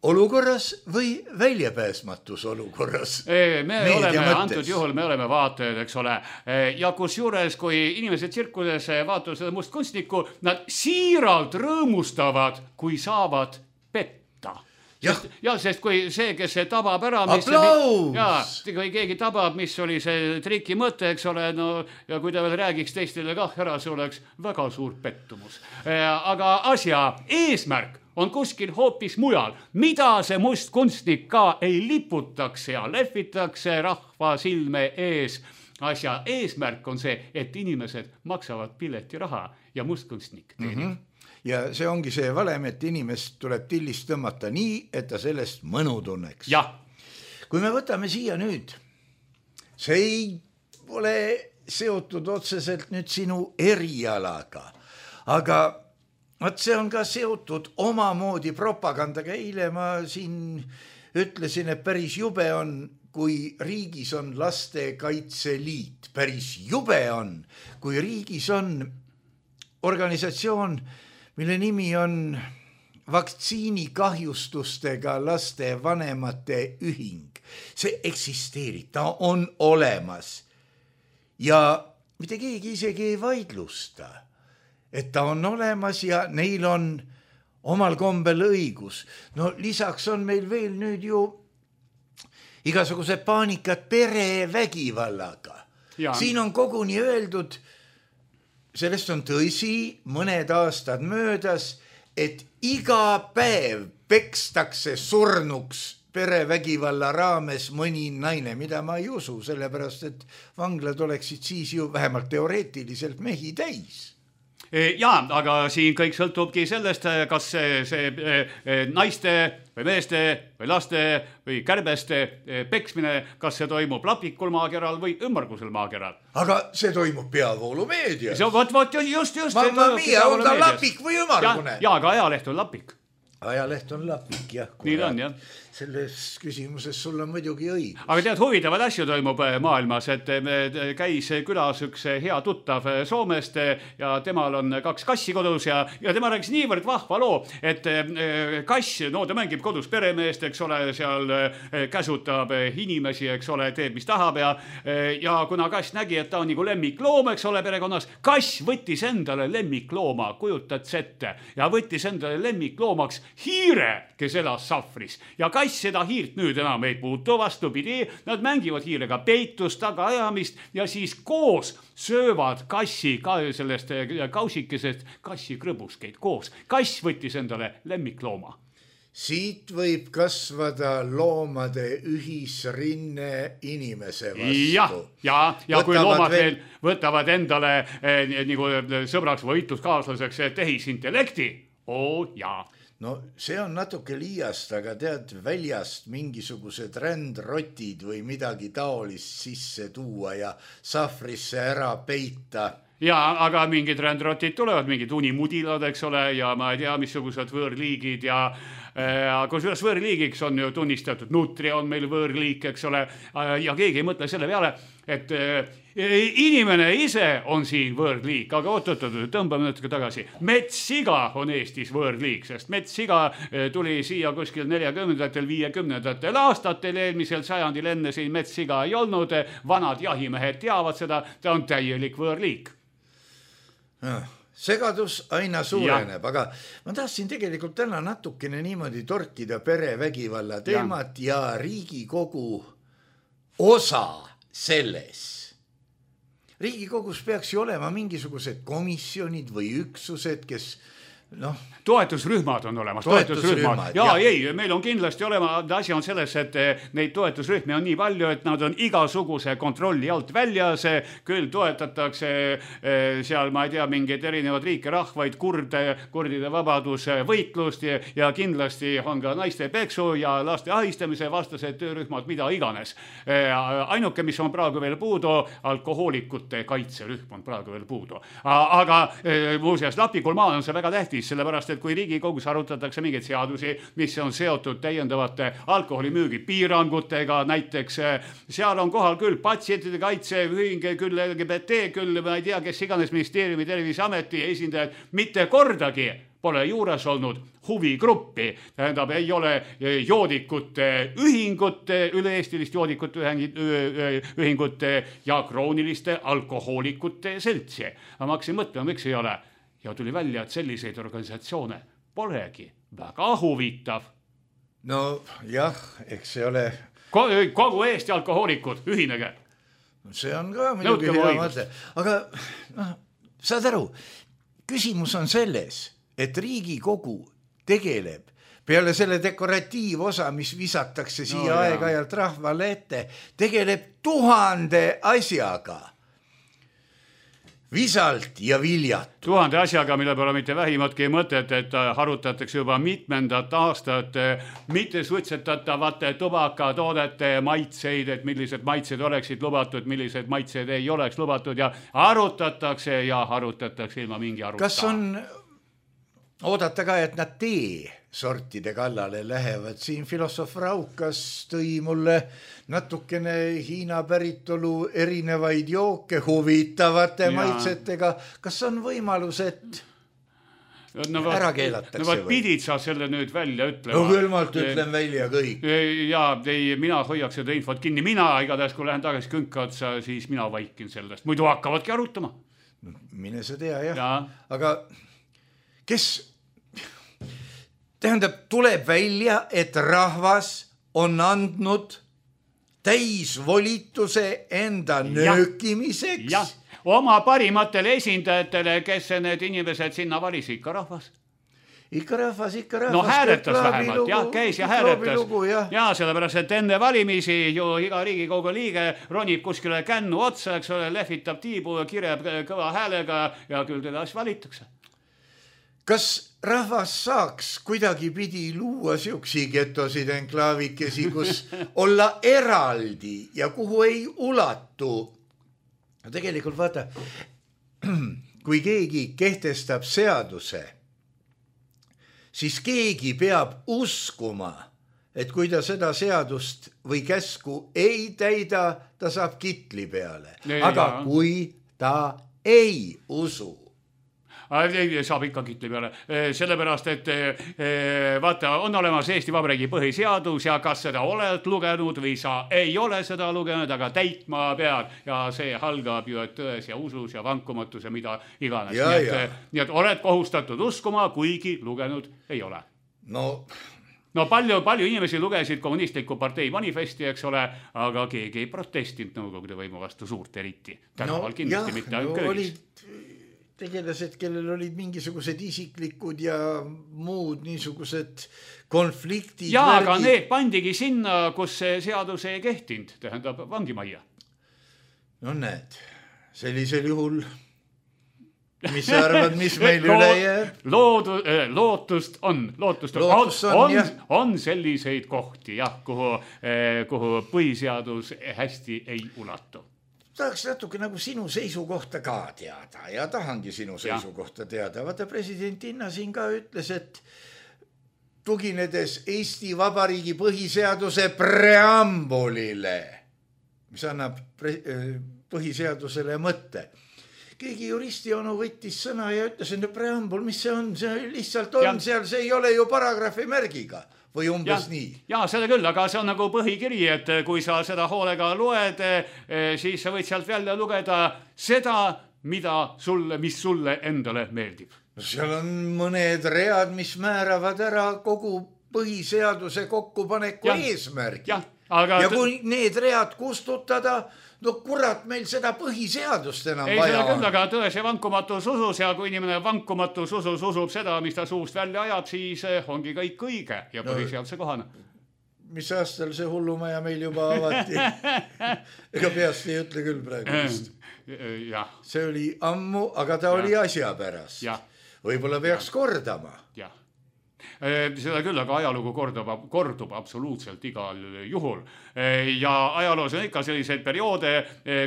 olukorras või väljapääsmatus olukorras? Antud juhul me oleme vaatajad, eks ole. Ja kus juures, kui inimesed tsirkuses vaatavad seda mustkunstnikku, nad siiralt rõõmustavad, kui saavad petta. Sest kui see, kes see tabab ära, kui keegi tabab, mis oli see triki mõte, eks ole, ja kui ta veel räägiks teistele kah ära, see oleks väga suur pettumus. Aga asja eesmärk on kuskil hoopis mujal, mida see mustkunstnik ka ei liputaks ja lehvitakse rahva silme ees. Asja eesmärk on see, et inimesed maksavad piletiraha ja mustkunstnik teenib. Ja see ongi see valem, et inimest tuleb tillist tõmmata nii, et ta sellest mõnu tunneks. Ja. Kui me võtame siia nüüd, see ei ole seotud otseselt nüüd sinu erialaga, aga see on ka seotud omamoodi propagandaga. Eile ma siin ütlesin, et päris jube on, kui riigis on Lastekaitseliit. Päris jube on, kui riigis on organisatsioon, mille nimi on vaktsiinikahjustustega laste vanemate ühing. See eksisteerib, ta on olemas. Ja mitte keegi isegi ei vaidlusta, et ta on olemas ja neil on omal kombel õigus. Lisaks on meil veel nüüd ju igasugused paanikad perevägivallaga. Siin on koguni öeldud, sellest on tõsi, mõned aastad möödas, et iga päev pekstakse surnuks perevägivalla raames mõni naine, mida ma ei usu, sellepärast et vanglad oleksid siis ju vähemalt teoreetiliselt mehi täis. Aga siin kõik sõltubki sellest, kas see naiste või meeste või laste või kärbeste peksmine, kas see toimub lapikul maakeral või ümmargusel maakeral. Aga see toimub peavoolumeedias. Just. Mamma mia, on ta lapik või ümmargune? Aga ajaleht on lapik. Ajaleht on lapik, jah. Nii on, jah. Selles küsimuses sul on muidugi õigus. Aga tead, huvitavad asju toimub maailmas, et käis külas üks hea tuttav Soomest ja temal on 2 kassi kodus ja tema rääkis niivõrd vahva loo, et kass, ta mängib kodus peremeest, eks ole, seal käsutab inimesi, eks ole, teeb mis tahab ja kuna kass nägi, et ta on nagu lemmikloom, eks ole, perekonnas, kass võttis endale lemmiklooma, kujutad ette, ja võttis endale lemmikloomaks hiire, kes elas sahvris ja kass seda hiirt nüüd enam ei puutu, vastupidi, nad mängivad hiirega peitust, tagaajamist ja siis koos söövad kassi ka sellest kausikesest kassi krõbuskeid koos. Kass võttis endale lemmiklooma. Siit võib kasvada loomade ühisrinne inimese vastu. Ja kui loomad veel võtavad endale nagu sõbraks või võitluskaaslaseks tehisintellekti, jaa. No see on natuke liiast, aga tead, väljast mingisugused rändrotid või midagi taolist sisse tuua ja sahvrisse ära peita. Jaa, aga mingid rändrotid tulevad, mingid unimudilad, eks ole, ja ma ei tea, missugused võõrliigid ja kusjuures võõrliigiks on ju tunnistatud, nutria on meil võõrliik, eks ole, ja keegi ei mõtle selle peale, et inimene ise on siin võõrliik, aga oot, tõmbame natuke tagasi. Metssiga on Eestis võõrliik, sest metssiga tuli siia kuskil 40-ndatel, 50-ndatel aastatel, eelmisel sajandil enne siin metssiga ei olnud, vanad jahimehed teavad seda, ta on täielik võõrliik. Segadus aina suureneb, aga ma tahtsin tegelikult täna natukene niimoodi torkida perevägivalla teemat ja Riigikogu osa selles. Riigikogus peaks ju olema mingisugused komisjonid või üksused, kes toetusrühmad on olemas, toetusrühmad. Ei, meil on kindlasti olema, asi on selles, et neid toetusrühmi on nii palju, et nad on igasuguse kontrolli alt väljas, küll toetatakse seal, ma ei tea, mingeid erinevad riike, rahvaid, kurdide vabaduse võitlust ja kindlasti on ka naiste peksu ja laste ahistamise vastased töörühmad, mida iganes. Ainuke, mis on praegu veel puudu, alkohoolikute kaitserühm on praegu veel puudu. Aga muuseas, Lapikul maal on see väga tähtis, sellepärast, et kui Riigikogus arutatakse mingeid seadusi, mis on seotud täiendavate alkoholimüügi piirangutega, näiteks seal on kohal küll patsientide kaitse, ühing, küll LGBT, küll ma ei tea, kes iganes ministeeriumi Terviseameti esindajad, mitte kordagi pole juures olnud huvigruppi, tähendab, ei ole joodikute ühingute, üle-eestilist joodikute ühingute ja krooniliste alkohoolikute seltsi. Ma hakkasin mõtlema, miks ei ole. Ja tuli välja, et selliseid organisatsioone polegi väga huvitav. No jah, eks see ole... Kogu Eesti alkohoolikud, ühinege. See on ka muidugi hea mõte. Aga saad aru, küsimus on selles, et Riigikogu tegeleb peale selle dekoratiivosa, mis visatakse siia aeg-ajalt rahvale ette, tegeleb 1000 asjaga. Visalt ja viljat. 1000 asjaga, mille pole mitte vähimatki mõtet, et harutatakse juba mitmendat aastat mitte suitsetatavate tubakatoodete maitseid, et millised maitsed oleksid lubatud, millised maitsed ei oleks lubatud ja harutatakse ilma mingi aruta. Kas on oodata ka, et nad sortide kallale lähevad? Siin filosoof Raukas tõi mulle natukene Hiina päritolu erinevaid jooke huvitavate maitsetega. Kas on võimalus, et ära keelatakse? No pidid sa selle nüüd välja ütlema. No külmalt ütlen välja kõik. Mina hoiaks seda infot kinni. Mina igatahes, kui lähen tagasi künkatsa, siis mina vaikin sellest. Muidu hakkavadki arutama. Mine sa tea, jah. Aga kes... Tähendab, tuleb välja, et rahvas on andnud täisvolituse enda nöökimiseks. Ja, oma parimatele esindajatele, kes need inimesed sinna valisi, ikka rahvas. Ikka rahvas. No hääletas vähemalt, käis ja hääletas. Ja sellepärast, et enne valimisi ju iga Riigikogu liige ronib kuskile kännu otsa, eks ole, lehvitab tiibu ja kirjab kõva häälega ja küll teda siis valitakse. Kas rahvas saaks kuidagi pidi luua siuksi getosid enklaavikesi, kus olla eraldi ja kuhu ei ulatu? Tegelikult vaata, kui keegi kehtestab seaduse, siis keegi peab uskuma, et kui ta seda seadust või käsku ei täida, ta saab kitli peale. Aga kui ta ei usu, saab ikka kitli peale, sellepärast, et vaata, on olemas Eesti Vabariigi põhiseadus ja kas seda oled lugenud või sa ei ole seda lugenud, aga täitma pead ja see halgab ju, et tões ja usus ja vankumatus ja mida iganes. Nii et oled kohustatud uskuma, kuigi lugenud ei ole. No palju inimesi lugesid kommunistliku partei manifesti, eks ole, aga keegi ei protestinud Nõukogude võimu vastu suurt eriti. Tänaval kindlasti mitte köögis. Tegelased, kellel olid mingisugused isiklikud ja muud niisugused konfliktid. Aga need pandigi sinna, kus see seadus ei kehtinud, tähendab vangimajja. No näed, sellisel juhul mis sa arvad, mis meil üle jääb? Lootust on. On selliseid kohti, jah, kuhu põhiseadus hästi ei ulatu. Tahaks natuke nagu sinu seisukohta ka teada ja tahangi sinu seisukohta teada. Vaata, president Inna siin ka ütles, et tuginedes Eesti Vabariigi põhiseaduse preambulile, mis annab põhiseadusele mõtte. Keegi juristi onu võttis sõna ja ütles, et preambul, mis see on? See lihtsalt on seal, see ei ole ju paragrahvi märgiga või umbes nii. Ja seda küll, aga see on nagu põhikiri, et kui sa seda hoolega loed, siis sa võid sealt välja lugeda seda, mis sulle endale meeldib. Seal on mõned read, mis määravad ära kogu põhiseaduse kokkupaneku eesmärgi. Ja kui need read kustutada, no kurat, meil seda põhiseadust enam vaja on. Ei, seda küll, aga tões ja vankumatus usus ja kui inimene vankumatus usus usub seda, mis ta suust välja ajab, siis ongi kõik õige ja põhiseaduse kohane. Mis aastal see hullumaja meil juba avati? Ega peast ei ütle küll praegu vist. See oli ammu, aga ta oli asja pärast. Võib-olla peaks kordama. Seda küll, aga ajalugu kordub absoluutselt igal juhul. Ja ajaloos on ikka selliseid perioode,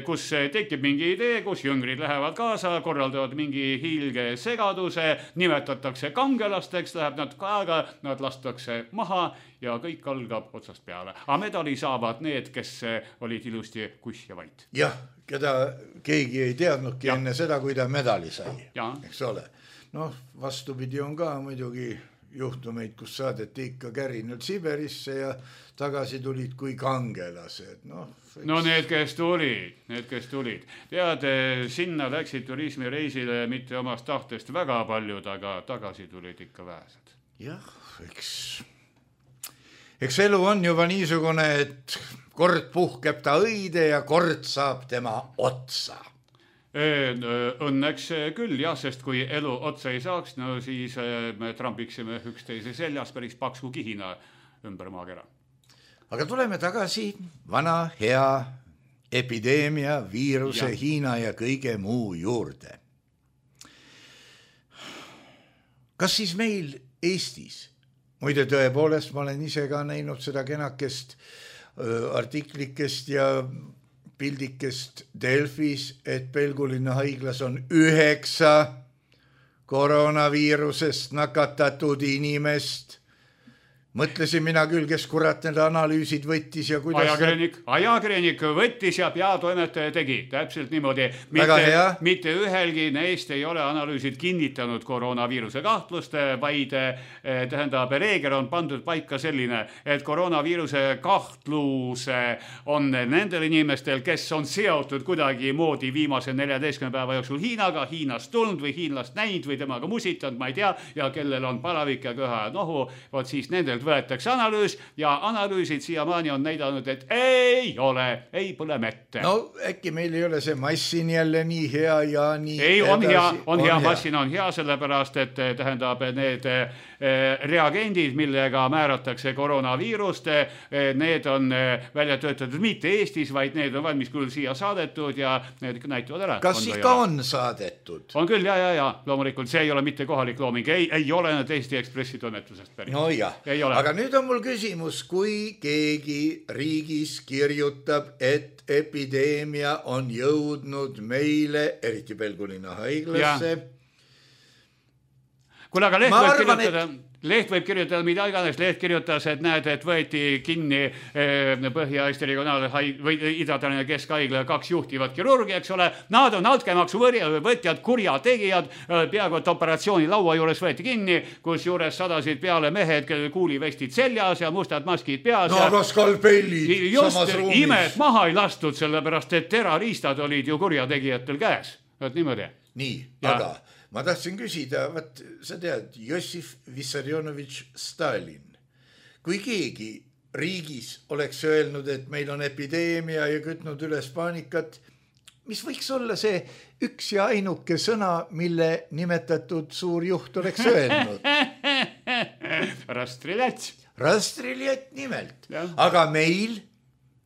kus tekib mingi idee, kus jüngrid lähevad kaasa, korraldavad mingi hiilge segaduse, nimetatakse kangelasteks, läheb natuke aega, nad lastakse maha ja kõik algab otsast peale. Aga medali saavad need, kes olid ilusti kuss ja vait. Jah, keda keegi ei teadnudki enne seda, kui ta medali sai. Eks ole. Noh, vastupidi on ka muidugi juhtumeid, kus saadeti ikka kärinud Siberisse ja tagasi tulid kui kangelased. No, need, kes tulid. Tead, sinna läksid turismireisile mitte omast tahtest väga paljud, aga tagasi tulid ikka vähesed. Jah, eks elu on juba niisugune, et kord puhkeb ta õide ja kord saab tema otsa. Õnneks küll, jah, sest kui elu otsa ei saaks, no siis me trampiksime üksteise seljas päris paksu kihina ümber maakera. Aga tuleme tagasi vana hea epideemia, viiruse, Hiina ja kõige muu juurde. Kas siis meil Eestis, muide tõepoolest, ma olen ise ka näinud seda kenakest artiklikest ja pildikest Delfis, et Pelgulinna haiglas on 9 koroonaviirusest nakatatud inimest. Mõtlesin mina küll, kes kurat need analüüsid võttis ja kuidas... Ajakirjanik võttis ja peatoimetaja tegi. Täpselt niimoodi. Mitte ühelgi neist ei ole analüüsid kinnitanud koroonaviiruse kahtlust, vaid tähendab, reegel on pandud paika selline, et koroonaviiruse kahtlus on nendel inimestel, kes on seotud kuidagi moodi viimase 14 päeva jooksul Hiinaga, Hiinast tulnud või hiinlast näinud või temaga musitanud, ma ei tea, ja kellel on palavik ja köha ja nohu, võt siis nendel võetakse analüüs ja analüüsid siiamaani on näidanud, et ei ole, ei põle mette. No äkki meil ei ole see massin jälle nii hea ja nii ei, on hea, massin on hea, sellepärast, et tähendab need reagendid, millega määratakse koroonaviirust, need on välja töötatud mitte Eestis, vaid need on valmis küll siia saadetud ja need näitavad ära. Kas ikka on saadetud? On küll, ja, loomulikult, see ei ole mitte kohalik looming, ei ole need Eesti Ekspressi tunnetusest päris. No jah, aga nüüd on mul küsimus, kui keegi riigis kirjutab, et epideemia on jõudnud meile, eriti Pelgulinna haiglasse. Kuule, aga leht võib kirjutada, mida iganes, leht kirjutas, et näed, et võeti kinni Põhja-Eesti või Ida-Tallinna Keskhaigla 2 juhtivat kirurgi, eks ole. Nad on altkäemaksu võtjad, kurjategijad, peaaegu et operatsiooni laua juures võeti kinni, kus juures sadasid peale mehed, kellel kuulivestid seljas ja mustad maskid peas. No aga skalpellid samas ruumis. Just imed maha ei lastud, sellepärast, et terariistad olid ju kurjategijatel käes. Niimoodi. Nii, aga... Ma tahtsin küsida, sa tead, Jossif Vissarionovitš Stalin, kui keegi riigis oleks öelnud, et meil on epideemia ja kütnud üles paanikat, mis võiks olla see üks ja ainuke sõna, mille nimetatud suur juht oleks öelnud? Rastriljat nimelt. Ja. Aga meil?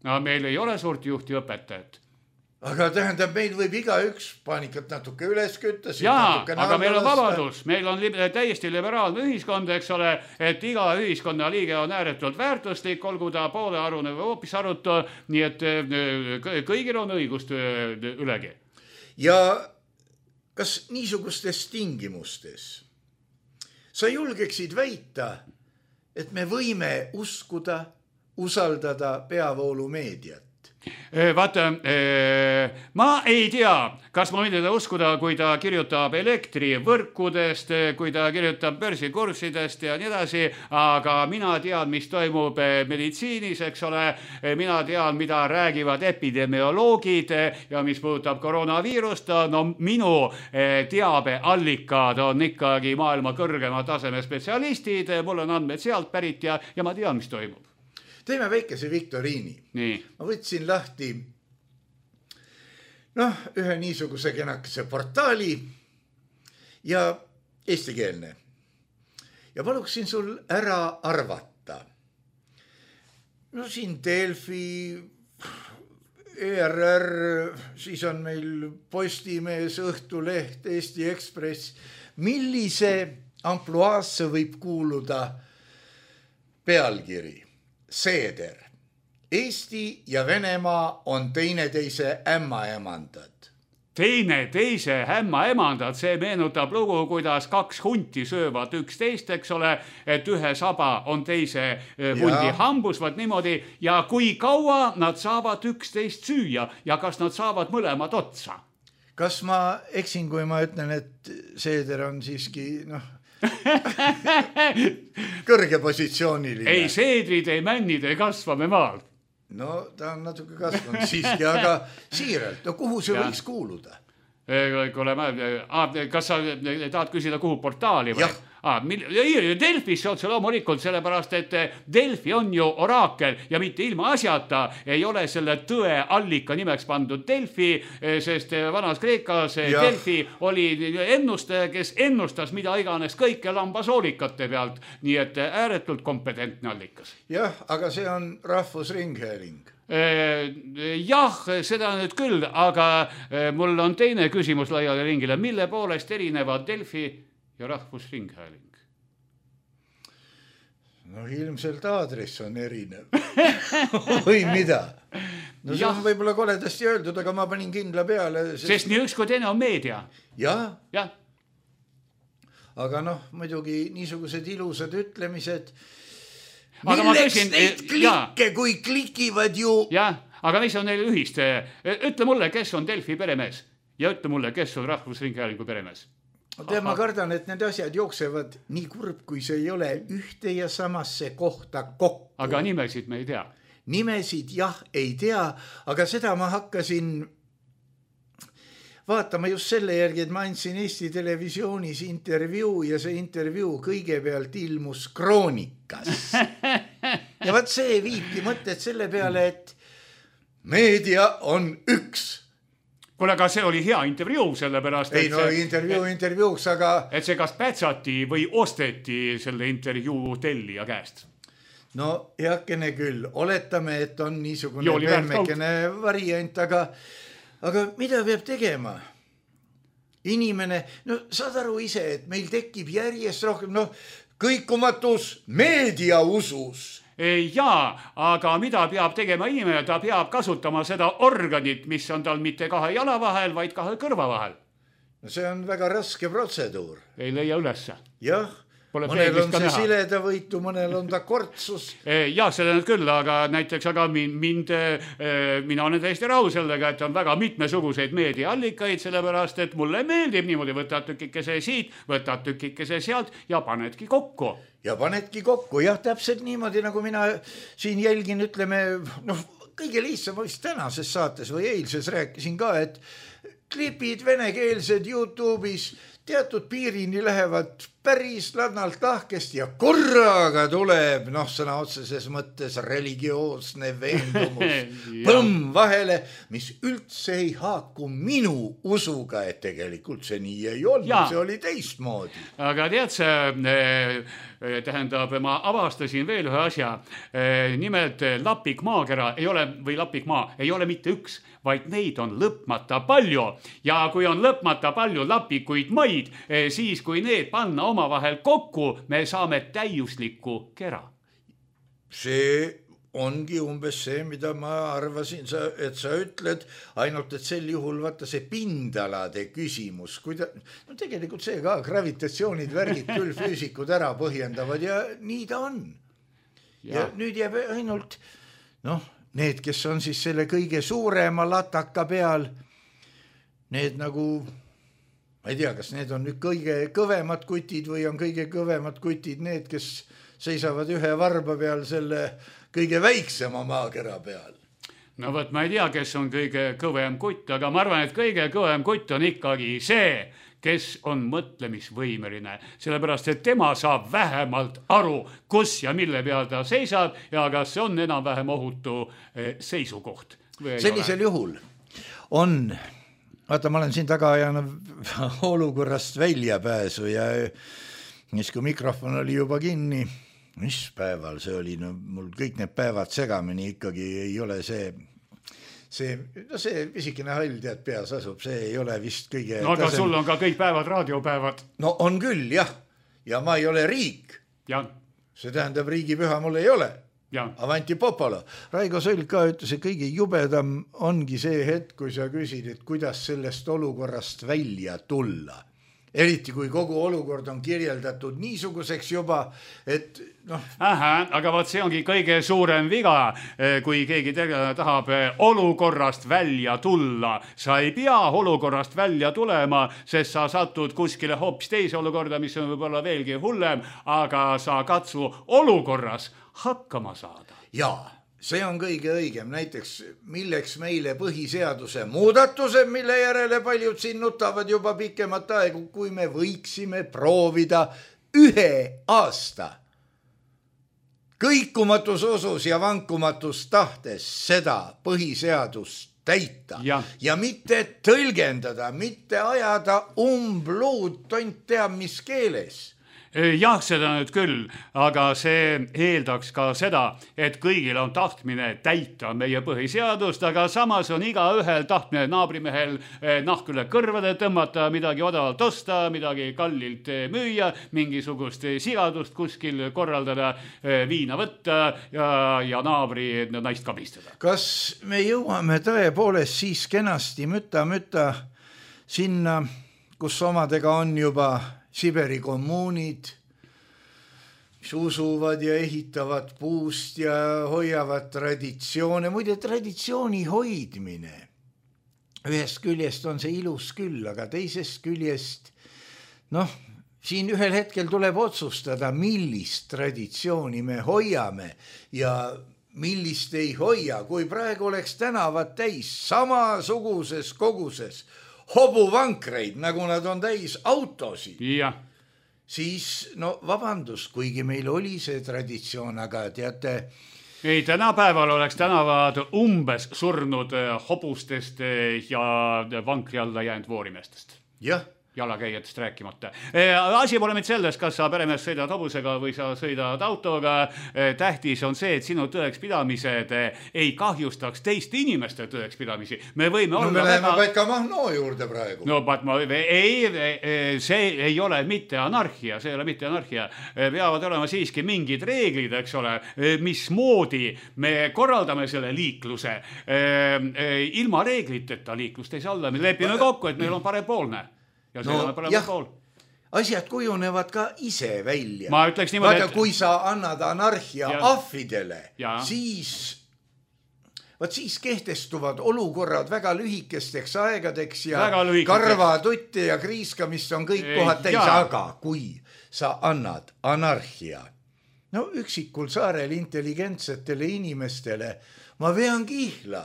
No meil ei ole suurt juhti õpetajat. aga tähendab, meil võib igaüks paanikat natuke üles kütta. Jaa, aga meil on vabadus, meil on täiesti liberaalne ühiskond, eks ole, et iga ühiskonna liige on ääretult väärtuslik, olgu ta poolearune või hoopis arutu, nii et kõigil on õigust ülegi. Ja kas niisugustes tingimustes sa julgeksid väita, et me võime uskuda, usaldada peavoolumeediat? Vaata, ma ei tea, kas ma võin teda uskuda, kui ta kirjutab elektrivõrkudest, kui ta kirjutab börsikursidest ja nii edasi, aga mina tean, mis toimub meditsiinis, eks ole, mina tean, mida räägivad epidemioloogid ja mis puudutab koroonaviirust, no minu teabeallikad on ikkagi maailma kõrgema taseme spetsialistid, mul on andmed sealt pärit ja ma tean, mis toimub. Teeme väikese viktoriini. Nii. Ma võtsin lahti ühe niisuguse kenakese portaali ja eestikeelne. Ja paluksin sul ära arvata. No siin Delfi, ERR, siis on meil Postimees, Õhtuleht, Eesti Ekspress. Millise ampluaasse võib kuuluda pealkiri? Seeder. Eesti ja Venemaa on teineteise ämmaemandad. Teineteise ämmaemandad, see meenutab lugu, kuidas kaks hunti söövad üksteist, eks ole, et ühe saba on teise hundi hambus, vaat niimoodi, ja kui kaua nad saavad üksteist süüa ja kas nad saavad mõlemad otsa? Kas ma eksin, kui ma ütlen, et Seeder on siiski, kõrge positsiooniline? Ei, seedrid, ei männid, ei kasva me maal. No ta on natuke kasvanud siiski, aga siiralt, kuhu see võiks kuuluda? Kas sa tahad küsida, kuhu portaali või? Delfisse otse loomulikult, sellepärast, et Delfi on ju oraakel ja mitte ilma asjata ei ole selle tõe allika nimeks pandud Delfi, sest vanas Kreekas Delfi oli ennustaja, kes ennustas mida iganes kõike lambasoolikate pealt, nii et ääretult kompetentne allikas. Jah, aga see on Rahvusringhääling. Jah, seda nüüd küll, aga mul on teine küsimus laiale ringile. Mille poolest erinevad Delfi ja Rahvusringhääling? No ilmselt aadress on erinev. Või mida? No see on võib-olla koledasti öeldud, aga ma panin kindla peale. Sest nii üks kui teine on meedia. Jah. Aga muidugi niisugused ilusad ütlemised. Milleks neid klikke, kui klikivad ju? Jah, aga mis on neil ühist? Ütle mulle, kes on Delfi peremees ja ütle mulle, kes on Rahvusringhäälingu peremees. Ma kardan, et need asjad jooksevad nii kurb, kui see ei ole ühte ja samasse kohta kokku. Aga nimesid me ei tea. Nimesid jah, ei tea, aga seda ma hakkasin vaatama just selle järgi, et ma andsin Eesti Televisioonis intervjuu ja see intervjuu kõigepealt ilmus Kroonikas. Ja vaat see viibki mõtted selle peale, et meedia on üks. Kuule, aga see oli hea intervjuu, sellepärast, et intervjuuks, aga et see kas pätsati või osteti selle intervjuu tellija käest. No heakene küll, oletame, et on niisugune pehmekene variant, aga mida peab tegema? Inimene, saad aru ise, et meil tekib järjest rohkem, kõikumatus meediausus. Jaa, aga mida peab tegema inimene? Ta peab kasutama seda organit, mis on tal mitte kahe jala vahel, vaid kahe kõrva vahel. No see on väga raske protseduur. Ei leia ülesse. Jah, mõnel on see sileda võitu, mõnel on ta kortsus. Jah, seda küll, aga näiteks mina olen täiesti rahul sellega, et on väga mitmesuguseid meediaallikaid, sellepärast, et mulle meeldib niimoodi, võtad tükikese siit, võtad tükikese sealt ja panedki kokku. Jah, täpselt niimoodi, nagu mina siin jälgin, ütleme, kõige lihtsam vist tänases saates või eilses rääkisin ka, et klipid venekeelsed YouTube'is teatud piirini lähevad päris ladnalt lahkesti ja korraga tuleb, sõna otseses mõttes religioosne veendumus põmm vahele, mis üldse ei haaku minu usuga, et tegelikult see nii ei olnud, see oli teistmoodi. Aga tead see, tähendab, ma avastasin veel ühe asja. Nimelt Lapik maakera ei ole, või Lapik maa ei ole mitte üks, vaid neid on lõpmata palju. Ja kui on lõpmata palju lapikuid maid, siis kui need panna omavahel kokku, me saame täiusliku kera. See ongi umbes see, mida ma arvasin, et sa ütled, ainult et sel juhul vaata see pindalade küsimus, no tegelikult see ka, gravitatsioonid, värgid küll füüsikud ära põhjendavad ja nii ta on. Ja nüüd jääb ainult, need, kes on siis selle kõige suurema lataka peal, need nagu, ma ei tea, kas need on nüüd kõige kõvemad kutid või on kõige kõvemad kutid need, kes seisavad ühe varba peal selle kõige väiksema maakera peal. No võt, ma ei tea, kes on kõige kõvem kutt, aga ma arvan, et kõige kõvem kutt on ikkagi see, kes on mõtlemisvõimeline, sellepärast, et tema saab vähemalt aru, kus ja mille peal ta seisab ja kas see on enam-vähem ohutu seisukoht. Sellisel juhul on, vaata, ma olen siin taga ajanud olukorrast väljapääsu ja siis kui mikrofon oli juba kinni, mis päeval see oli, mul kõik need päevad segamini ikkagi ei ole see pisikene hall tead peas asub, see ei ole vist kõige... No aga sul on ka kõik päevad raadiopäevad. No on küll, jah. Ja ma ei ole riik. Ja. See tähendab, riigipüha mul ei ole. Ja. Avanti Popolo. Raigo Sõlg ka ütles, et kõige jubedam ongi see hetk, kui sa küsid, et kuidas sellest olukorrast välja tulla. Eriti kui kogu olukord on kirjeldatud niisuguseks juba, et aga vaat see ongi kõige suurem viga, kui keegi tahab olukorrast välja tulla. Sa ei pea olukorrast välja tulema, sest sa satud kuskile hoopis teise olukorda, mis on võib-olla veelgi hullem, aga sa katsu olukorras hakkama saada. Jaa. See on kõige õigem, näiteks milleks meile põhiseaduse muudatused, mille järele paljud siin nutavad juba pikemat aegu, kui me võiksime proovida 1 aasta kõikumatus usus ja vankumatus tahtes seda põhiseadust täita ja mitte tõlgendada, mitte ajada umbluud tont teab mis keeles. Jah, seda nüüd küll, aga see eeldaks ka seda, et kõigil on tahtmine täita meie põhiseadust, aga samas on iga ühel tahtmine naabrimehel nahk üle kõrvade tõmmata, midagi odavalt osta, midagi kallilt müüa, mingisugust sigadust kuskil korraldada, viina võtta ja naabri naist kabistada. Kas me jõuame tõepoolest siis kenasti müta sinna, kus omadega on juba Siberi kommuunid, mis usuvad ja ehitavad puust ja hoiavad traditsioone. Muide, traditsiooni hoidmine. Ühest küljest on see ilus küll, aga teisest küljest, siin ühel hetkel tuleb otsustada, millist traditsiooni me hoiame ja millist ei hoia. Kui praegu oleks tänavad täis samasuguses koguses hobuvankreid, nagu nad on täis autosid, siis vabandust, kuigi meil oli see traditsioon, aga teate... Ei, tänapäeval oleks tänavad umbes surnud hobustest ja vankri alla jäänud voorimestest. Jah. Jalakäijatest rääkimata. Asi pole mitte sellest, kas sa peremees sõidad hobusega või sa sõidad autoga. Tähtis on see, et sinu tõekspidamised ei kahjustaks teiste inimeste tõekspidamisi. Me võime olla... Me läheme Paika Mahnoo juurde praegu. See ei ole mitte anarhia, Peavad olema siiski mingid reeglid, eks ole, mismoodi me korraldame selle liikluse. Ilma reegliteta liiklust ei saa olla. Me lepime kokku, et meil on parempoolne. Asjad kujunevad ka ise välja. Ma ütleks niimoodi, et... Kui sa annad anarhia ahvidele, siis kehtestuvad olukorrad väga lühikesteks aegadeks ja karvatutte ja kriiskamist on kõik kohad täis. Aga kui sa annad anarhia, üksikul saarel intelligentsetele inimestele, ma vean kihla,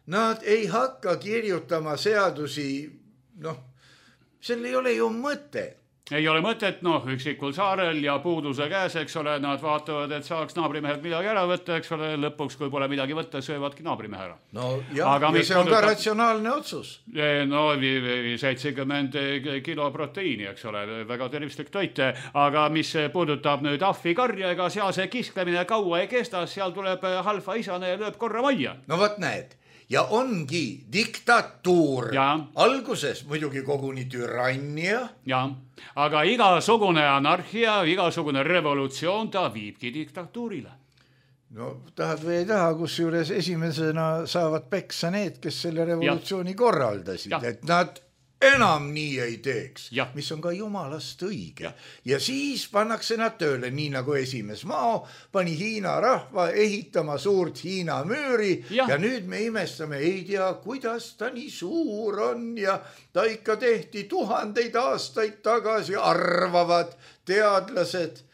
nad ei hakka kirjutama seadusi, sel ei ole ju mõtet. Ei ole mõtet, üksikul saarel ja puuduse käes, eks ole, nad vaatavad, et saaks naabrimehelt midagi ära võtta, eks ole, lõpuks, kui pole midagi võtta, söövadki naabrimehe ära. Ja see on ka ratsionaalne otsus. 70 kilo proteiini, eks ole, väga tervislik toit, aga mis puudutab nüüd ahvikarja, ega seal see kisklemine kaua ei kesta, seal tuleb halfa isane ja lööb korra majja. Võt näed. ja ongi diktatuur. Ja. Alguses muidugi koguni türannia. Ja, aga igasugune anarhia, igasugune revolutsioon, ta viibki diktatuurile. No tahad või ei taha, kus juures esimesena saavad peksa need, kes selle revolutsiooni korraldasid, et nad enam nii ei teeks, mis on ka jumalast õige. Ja siis pannakse nad tööle, nii nagu esimees Mao pani Hiina rahva ehitama suurt Hiina müüri ja nüüd me imestame, ei tea, kuidas ta nii suur on ja ta ikka tehti 1000 aastaid tagasi, arvavad teadlased.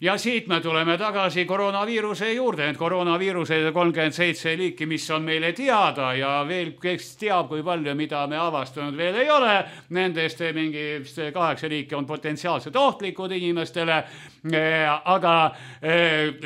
Ja siit me tuleme tagasi koroonaviiruse juurde, et koroonaviiruse 37 liiki, mis on meile teada ja veel kes teab, kui palju, mida me avastanud veel ei ole. Nendest mingi 8 liiki on potentsiaalselt ohtlikud inimestele, aga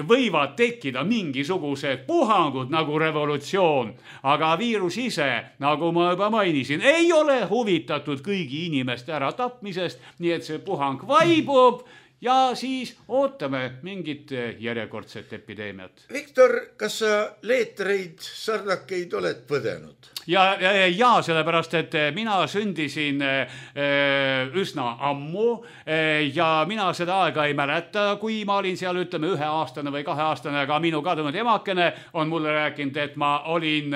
võivad tekkida mingisugused puhangud nagu revolutsioon. Aga viirus ise, nagu ma juba mainisin, ei ole huvitatud kõigi inimeste ära tapmisest, nii et see puhang vaibub. Ja siis ootame mingit järjekordset epideemiat. Viktor, kas sa leetreid, sarnakeid oled põdenud? Ja sellepärast, et mina sündisin üsna ammu ja mina seda aega ei mäleta, kui ma olin seal, ütleme, 1-aastane või 2-aastane, aga minu kadunud emakene on mulle rääkinud, et ma olin,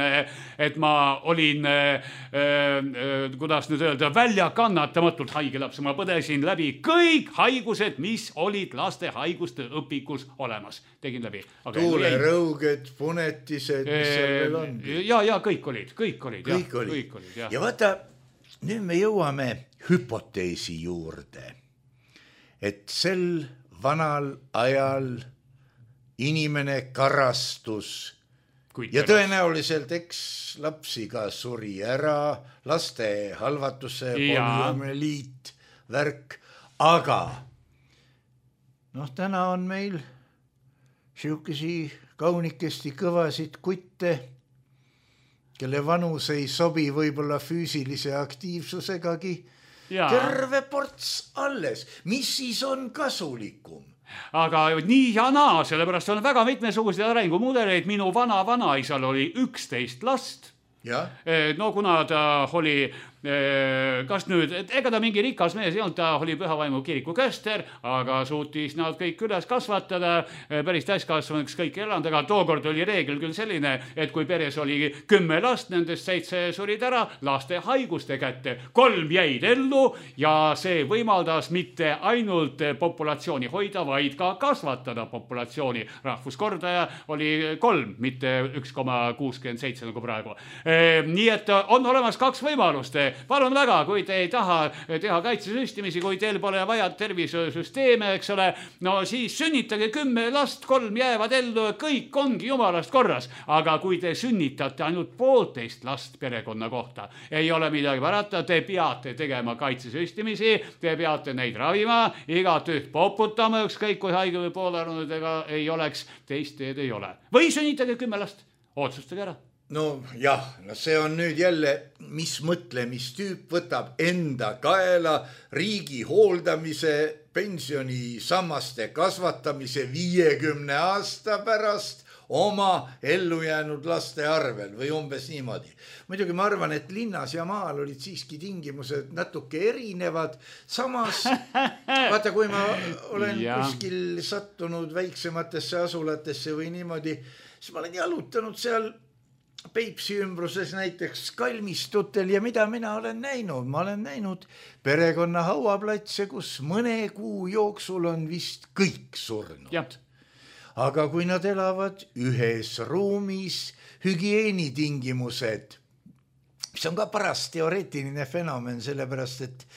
kuidas nüüd öelda, välja kannatamatult haige laps. Ma põdesin läbi kõik haigused, mis olid laste haiguste õpikus olemas. Tegin läbi. Tuulerõuged, punetised, mis seal veel on? Ja kõik olid. Ja vaata, nüüd me jõuame hüpoteesi juurde, et sel vanal ajal inimene karastus ja tõenäoliselt eks lapsi ka suri ära, laste halvatuse, poliomeliit, värk, aga täna on meil siukesi kaunikesti kõvasid kutte, kelle vanus ei sobi võib-olla füüsilise aktiivsusegagi. Terve ports alles. Mis siis on kasulikum? Aga nii ja naa, sellepärast on väga mitmesuguseid arengumudeleid. Minu vanaisal oli 11 last. No kuna ta oli, kas nüüd, ega ta mingi rikas mees ei olnud, ta oli Pühavaimu kiriku köster, aga suutis nad kõik üles kasvatada, päris täiskasvanuks kõik elanud, aga tookord oli reegel küll selline, et kui peres oli 10 last, nendest 7 surid ära laste haiguste kätte, 3 jäid ellu ja see võimaldas mitte ainult populatsiooni hoida, vaid ka kasvatada populatsiooni. Rahvuskordaja oli 3, mitte 1,67 nagu praegu. Nii et on olemas 2 võimalust. Palun väga, kui te ei taha teha kaitsesüstimisi, kui teil pole vaja tervisesüsteeme, eks ole, no siis sünnitage 10 last, 3 jäävad ellu, kõik ongi jumalast korras. Aga kui te sünnitate ainult 1,5 last perekonna kohta, ei ole midagi parata, te peate tegema kaitsesüstimisi, te peate neid ravima, igat üht poputama, ükskõik kui haige või poolaranud ega ei oleks, teist teed ei ole. Või sünnitage 10 last, otsustage ära. No jah, see on nüüd jälle, mis mõtlemistüüp võtab enda kaela riigi hooldamise, pensionisammaste kasvatamise 50 aasta pärast oma ellujäänud laste arvel või umbes niimoodi. Muidugi ma arvan, et linnas ja maal olid siiski tingimused natuke erinevad. Samas, vaata, kui ma olen kuskil sattunud väiksematesse asulatesse või niimoodi, siis ma olen jalutanud seal Peipsi ümbruses näiteks kalmistutel ja mida mina olen näinud? Ma olen näinud perekonna hauaplatse, kus mõne kuu jooksul on vist kõik surnud. Aga kui nad elavad ühes ruumis, hügieenitingimused, mis on ka paras teoreetiline fenomen, sellepärast et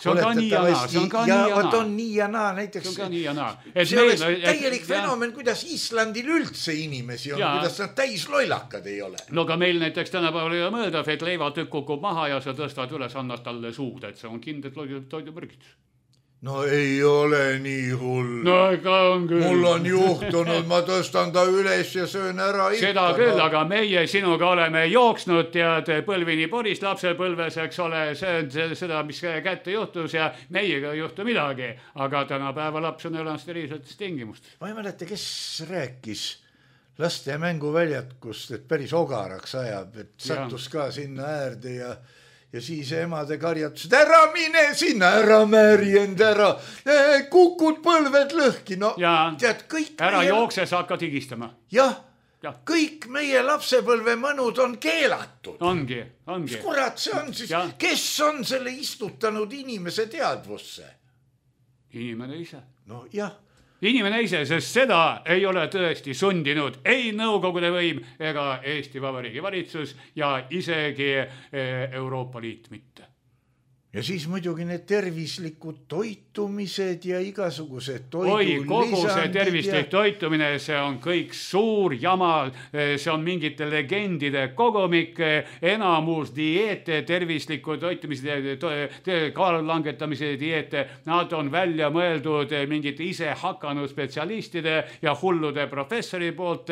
see on ka nii ja naa, see on ka nii ja naa. On nii ja naa, näiteks. See on ka nii ja naa. See oleks täielik fenomen, kuidas Islandil üldse inimesi on, kuidas nad täis loilakad ei ole. No aga meil näiteks tänapäeval ei ole mõeldav, et leivatükk kukub maha ja sa tõstad üles, annad talle suud, et see on kindel toidumürgitus. No ei ole nii hull. No ega on küll. Mul on juhtunud, ma tõstan ta üles ja söön ära ikka. Seda küll, aga meie sinuga oleme jooksnud tead põlvini Boris lapsepõlves, eks ole, seda, mis kätte juhtus ja meiega ei juhtu midagi. Aga tänapäeva laps on elanud steriilsetes tingimust. Ma ei mäleta, kes rääkis laste mänguväljakust, et päris ogaraks ajab, et sattus ka sinna äärde ja siis emade karjatused, ära mine sinna, ära määrjend, ära kukud põlved lõhki, no tead kõik. Ära jookse, sa hakkad higistama. Jah, kõik meie lapsepõlve mõnud on keelatud. Ongi. Kurat, see on siis, kes on selle istutanud inimese teadvusse? Inimene ise. No jah. Inimene ise, sest seda ei ole tõesti sundinud ei Nõukogude võim ega Eesti Vabariigi valitsus ja isegi Euroopa Liit mitte. Ja siis muidugi need tervislikud toitumised ja igasugused toidulisandid. Kogu see tervislik toitumine, see on kõik suur jama, see on mingite legendide kogumik, enamus dieete, tervisliku toitumise, kaalu langetamise dieete, nad on välja mõeldud mingite ise hakanud spetsialistide ja hullude professori poolt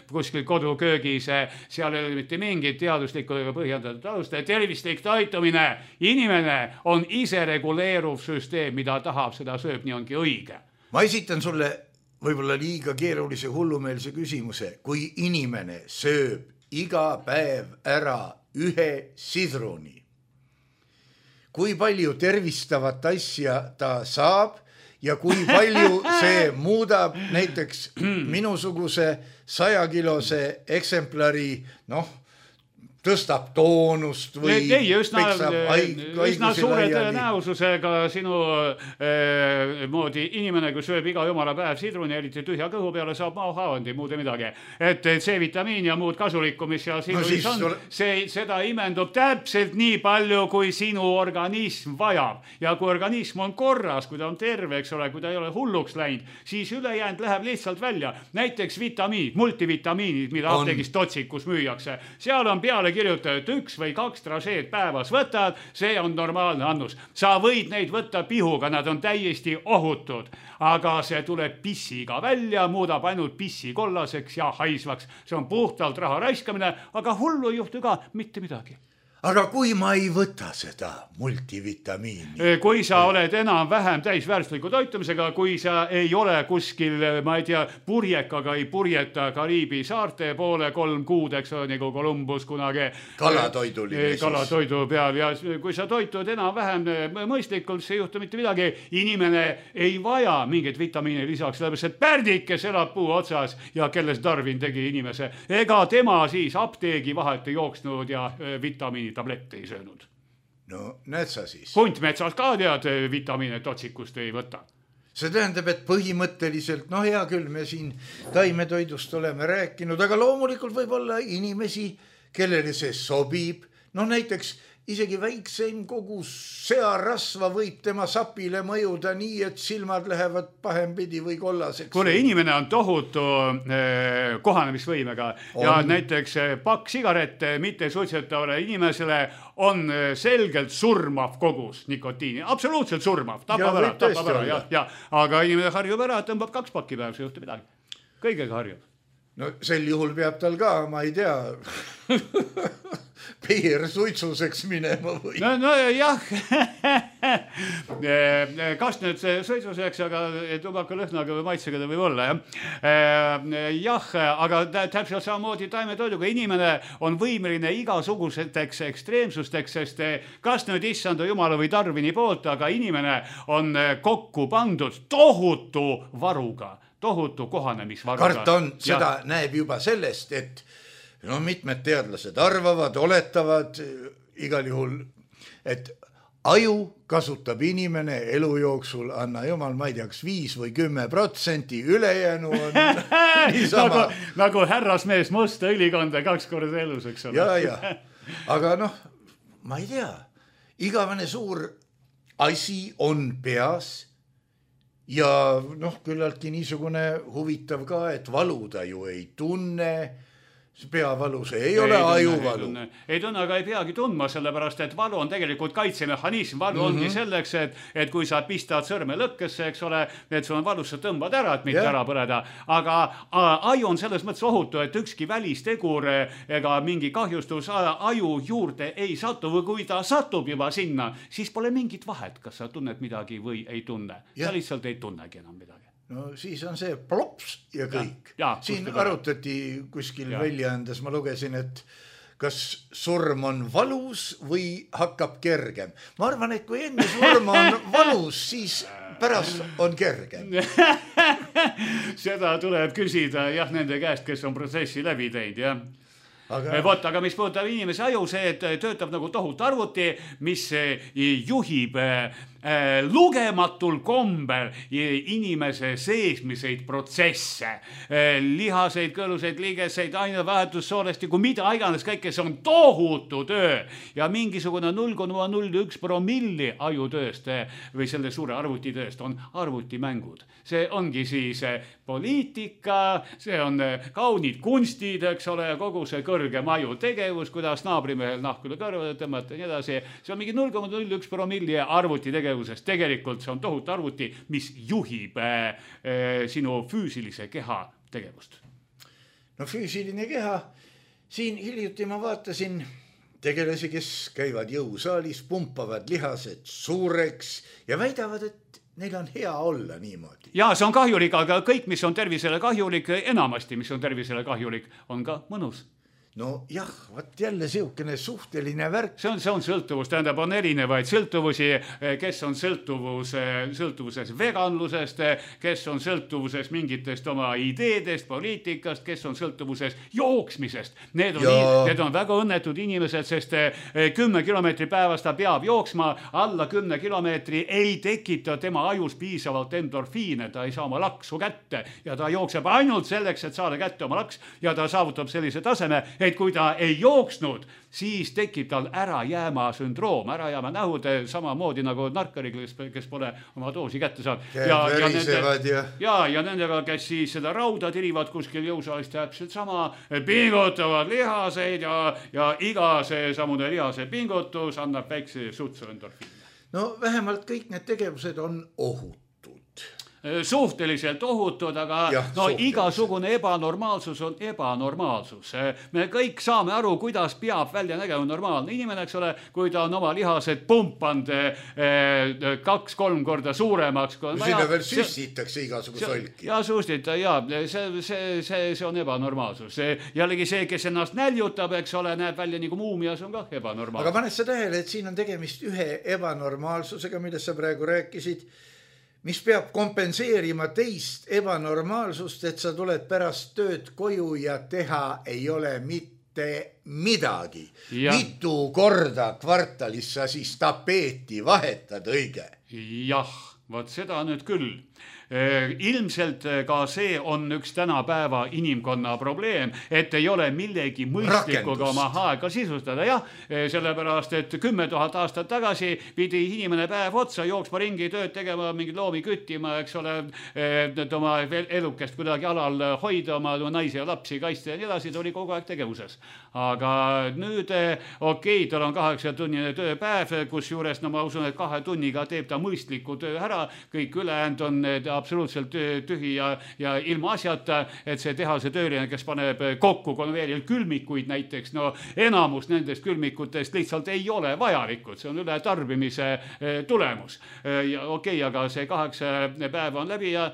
kuskil koduköögis, seal ei ole mitte mingit teaduslikku põhjendatud alust, tervislik toitumine, inimene on ise reguleeruv süsteem, mida tahab, seda sööb, nii ongi õige. Ma esitan sulle võib-olla liiga keerulise hullumeelse küsimuse. Kui inimene sööb iga päev ära ühe sidruni, kui palju tervistavat asja ta saab ja kui palju see muudab näiteks minusuguse 100-kilose eksemplari, tõstab toonust või üsna suure tõenäosusega sinu moodi inimene, kui sööb iga jumala päev sidruni, eriti tühja kõhu peale, saab maohaavandi, muud midagi. Et C-vitamiin ja muud kasulikku, mis seal sidrunis on, seda imendub täpselt nii palju, kui sinu organism vajab. Ja kui organism on korras, kui ta on terve, eks ole, kui ta ei ole hulluks läinud, siis ülejäänud läheb lihtsalt välja. Näiteks vitamiinid, multivitamiinid, mida apteegis Totsikus müüakse. Seal on peale kirjuta, et 1 või 2 trašeed päevas võtad, see on normaalne annus. Sa võid neid võtta pihuga, nad on täiesti ohutud, aga see tuleb pissiga välja, muudab ainult pissi kollaseks ja haisvaks. See on puhtalt raha raiskamine, aga hullu ei juhtu ka mitte midagi. Aga kui ma ei võta seda multivitamiini? Kui sa oled enam-vähem täisväärtusliku toitumisega, kui sa ei ole kuskil, ma ei tea, purjekaga ei purjeta Kariibi saarte poole 3 kuud, eks ole, nagu Columbus kunagi kalatoidu peal ja kui sa toitud enam-vähem mõistlikult, see ei juhtu mitte midagi. Inimene ei vaja mingit vitamiini lisaks, sellepärast et Pärdikes elab puu otsas ja kelles Darwin tegi inimese. Ega tema siis apteegi vahet ei jooksnud ja vitamiini tablette ei söönud. No näed sa siis. Huntmetsas ka tead vitamiine Totsikust ei võta. See tähendab, et põhimõtteliselt, hea küll, me siin taimetoidust oleme rääkinud, aga loomulikult võib olla inimesi, kellele see sobib. Näiteks isegi väikseim kogus searasva võib tema sapile mõjuda nii, et silmad lähevad pahempidi või kollaseks. Kuule, inimene on tohutu kohanemisvõimega ja näiteks pakk sigarette mitte suitsetavale inimesele on selgelt surmav kogus nikotiini. Absoluutselt surmav. Tapab ära. Aga inimene harjub ära, tõmbab 2 pakki päev, see juhtu midagi. Kõigega harjub. No sel juhul peab tal ka, ma ei tea, suitsuseks minema või? No jah, kas nüüd suitsuseks, aga tubaka lõhnaga või maitsega ta võib olla, jah, aga täpselt samamoodi taimetoiduga inimene on võimeline igasuguseteks ekstreemsusteks, sest kas nüüd issanda jumala või Darwini poolt, aga inimene on kokku pandud tohutu varuga. Tohutu kohanemisvaruga. Karta on, seda näeb juba sellest, et mitmed teadlased arvavad, oletavad igal juhul, et aju kasutab inimene elu jooksul, anna jumal, ma ei tea, 5 või 10%, ülejäänu on niisama. Nagu härrasmees musta õlikonda 2 korda elus, eks ole. Ja. Aga ma ei tea, igavene suur asi on peas. Ja küllaltki niisugune huvitav ka, et valu ta ju ei tunne, peavalu, see ei ole ajuvalu. Ei tunne, aga ei peagi tundma, sellepärast, et valu on tegelikult kaitsemehhanism. Valu ongi selleks, et kui sa pistad sõrme lõkkesse, eks ole, et sul on valus, sa tõmbad ära, et mitte ära põleda. Aga aju on selles mõttes ohutu, et ükski välistegur ega mingi kahjustus aju juurde ei satu või kui ta satub juba sinna, siis pole mingit vahet, kas sa tunned midagi või ei tunne. Sa lihtsalt ei tunnegi enam midagi. no siis on see plops ja kõik. Siin arutati kuskil väljaandes, ma lugesin, et kas surm on valus või hakkab kergem. Ma arvan, et kui enne surm on valus, siis pärast on kergem. Seda tuleb küsida jah nende käest, kes on protsessi läbi teinud, jah. Aga mis puudutab inimese aju, see töötab nagu tohut arvuti, mis juhib lugematul kombel inimese seesmiseid protsesse, lihaseid, kõluseid, liigeseid, ainevahetus, soolestiku, mida iganes kõike, see on tohutu töö ja mingisugune 0,01 promilli ajutööst või selle suure arvutitööst on arvutimängud. See ongi siis poliitika, see on kaunid kunstid, eks ole, kogu see kõrgem aju tegevus, kuidas naabrimehel nahk üle kõrvale tõmmata ja nii edasi. See on mingi 0,01 promilli arvuti tegevusest. Tegelikult see on tohutu arvuti, mis juhib sinu füüsilise keha tegevust. No füüsiline keha, siin hiljuti ma vaatasin tegelasi, kes käivad jõusaalis, pumpavad lihased suureks ja väidavad, et neil on hea olla niimoodi. Ja see on kahjulik, aga kõik, mis on tervisele kahjulik, enamasti, mis on tervisele kahjulik, on ka mõnus. No jah, võt jälle siukene suhteline värk. See on sõltuvus, tähendab, on erinevaid sõltuvusi, kes on sõltuvuses veganlusest, kes on sõltuvuses mingitest oma ideedest, poliitikast, kes on sõltuvuses jooksmisest. Need on väga õnnetud inimesed, sest 10 kilomeetri päevas ta peab jooksma, alla 10 kilomeetri ei tekita tema ajus piisavalt endorfiine, ta ei saa oma laksu kätte ja ta jookseb ainult selleks, et saada kätte oma laks ja ta saavutab sellise taseme, et kui ta ei jooksnud, siis tekib tal ärajääma sündroom, ärajääma nähud samamoodi nagu narkaril, kes pole oma doosi kätte saanud. Ja nendega, kes siis seda rauda tirivad kuskil jõusaalist täpselt sama, pingutavad lihaseid ja iga see samune lihase pingutus annab väikse sutsu endorfiini. No vähemalt kõik need tegevused on ohutud. Suhteliselt ohutud, aga igasugune ebanormaalsus on ebanormaalsus. Me kõik saame aru, kuidas peab välja nägema normaalne inimene, eks ole, kui ta on oma lihased pumpanud 2-3 korda suuremaks. Sinna veel süstitakse igasuguse olki. Ja süstita, see on ebanormaalsus. Jällegi see, kes ennast näljutab, eks ole, näeb välja nagu muumia, see on ka ebanormaalsus. Aga paned sa tähele, et siin on tegemist ühe ebanormaalsusega, millest sa praegu rääkisid, mis peab kompenseerima teist ebanormaalsust, et sa tuled pärast tööd koju ja teha ei ole mitte midagi. Mitu korda kvartalis sa siis tapeeti vahetad õige? Jah, vaat seda nüüd küll. Ilmselt ka see on üks tänapäeva inimkonna probleem, et ei ole millegi mõistlikuga oma aega sisustada. Jah, sellepärast, et 10 000 aastat tagasi pidi inimene päev otsa jooksma ringi tööd tegema, mingi loomi küttima, eks ole, oma elukest kuidagi alal hoida, oma naisi ja lapsi kaitsta ja nii edasi, ta oli kogu aeg tegevuses. Aga nüüd, tal on 8-tunnine tööpäev, kus juures, ma usun, et 2 tunniga teeb ta mõistliku töö ära, kõik ülejäänud on absoluutselt tühi ja ilma asjata, et see tehase tööline, kes paneb kokku konveeril külmikuid näiteks, enamus nendest külmikutest lihtsalt ei ole vajalikud, see on üle tarbimise tulemus. Aga see 8 päeva on läbi ja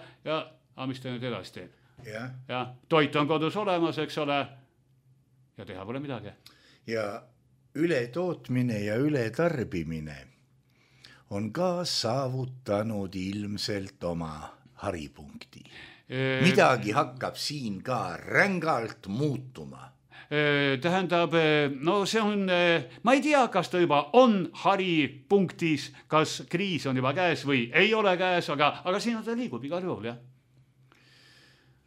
mis ta nüüd edasi teeb? Ja toit on kodus olemas, eks ole, ja teha pole midagi. Ja ületootmine ja ületarbimine on ka saavutanud ilmselt oma haripunkti. Midagi hakkab siin ka rängalt muutuma. Tähendab, see on, ma ei tea, kas ta juba on haripunktis, kas kriis on juba käes või ei ole käes, aga siin ta liigub igal juhul, jah.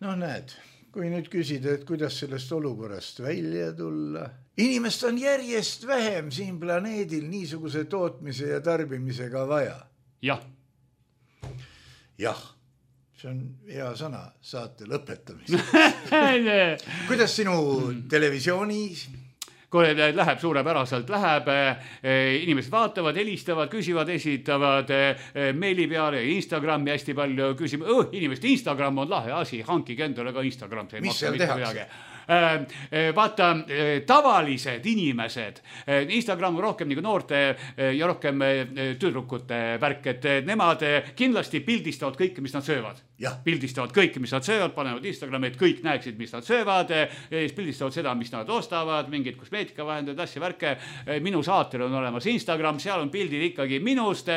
No näed, kui nüüd küsida, et kuidas sellest olukorrast välja tulla. Inimest on järjest vähem siin planeedil niisuguse tootmise ja tarbimisega vaja. Jah. Jah, see on hea sõna saate lõpetamiseks. Kuidas sinu televisioonis? Kui läheb suurepäraselt, inimesed vaatavad, helistavad, küsivad, esitavad meili peale ja Instagrami hästi palju küsima. Inimeste Instagram on lahe asi, hankige endale ka Instagram. Mis seal tehakse? vaata, tavalised inimesed, Instagram on rohkem nagu noorte ja rohkem tüdrukute värk, et nemad kindlasti pildistavad kõike, mis nad söövad. Pildistavad kõike, mis nad söövad, panevad Instagrami, et kõik näeksid, mis nad söövad, pildistavad seda, mis nad ostavad, mingid kosmeetika vahendajad, asja värke. Minu saatel on olemas Instagram, seal on pildid ikkagi minust,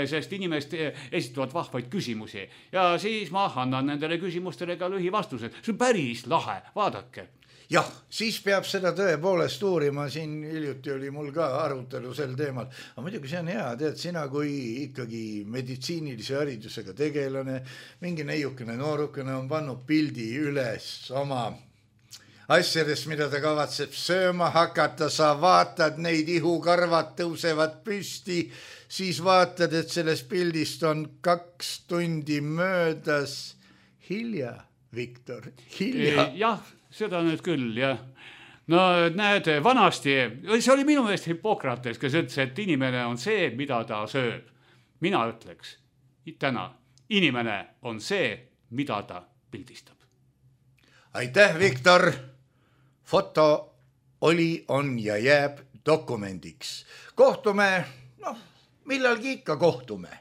sest inimesed esitavad vahvaid küsimusi ja siis ma annan nendele küsimustele ka lühivastused. See on päris lahe, vaadake. Jah, siis peab seda tõepoolest uurima, siin hiljuti oli mul ka arutelu sel teemal, aga muidugi see on hea, tead, sina kui ikkagi meditsiinilise haridusega tegelane, mingi neiukene noorukene on pannud pildi üles oma asjadest, mida ta kavatseb sööma hakata, sa vaatad neid, ihukarvad tõusevad püsti, siis vaatad, et sellest pildist on 2 tundi möödas. Hilja, Viktor, hilja. Jah, seda nüüd küll, jah. No näed, vanasti, see oli minu meelest Hippokrates, kes ütles, et inimene on see, mida ta sööb. Mina ütleks, täna, inimene on see, mida ta pildistab. Aitäh, Viktor! Foto oli, on ja jääb dokumendiks. Kohtume, millalgi ikka kohtume.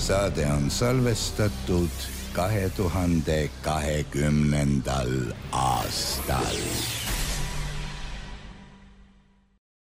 Saade on salvestatud 2020. aastal.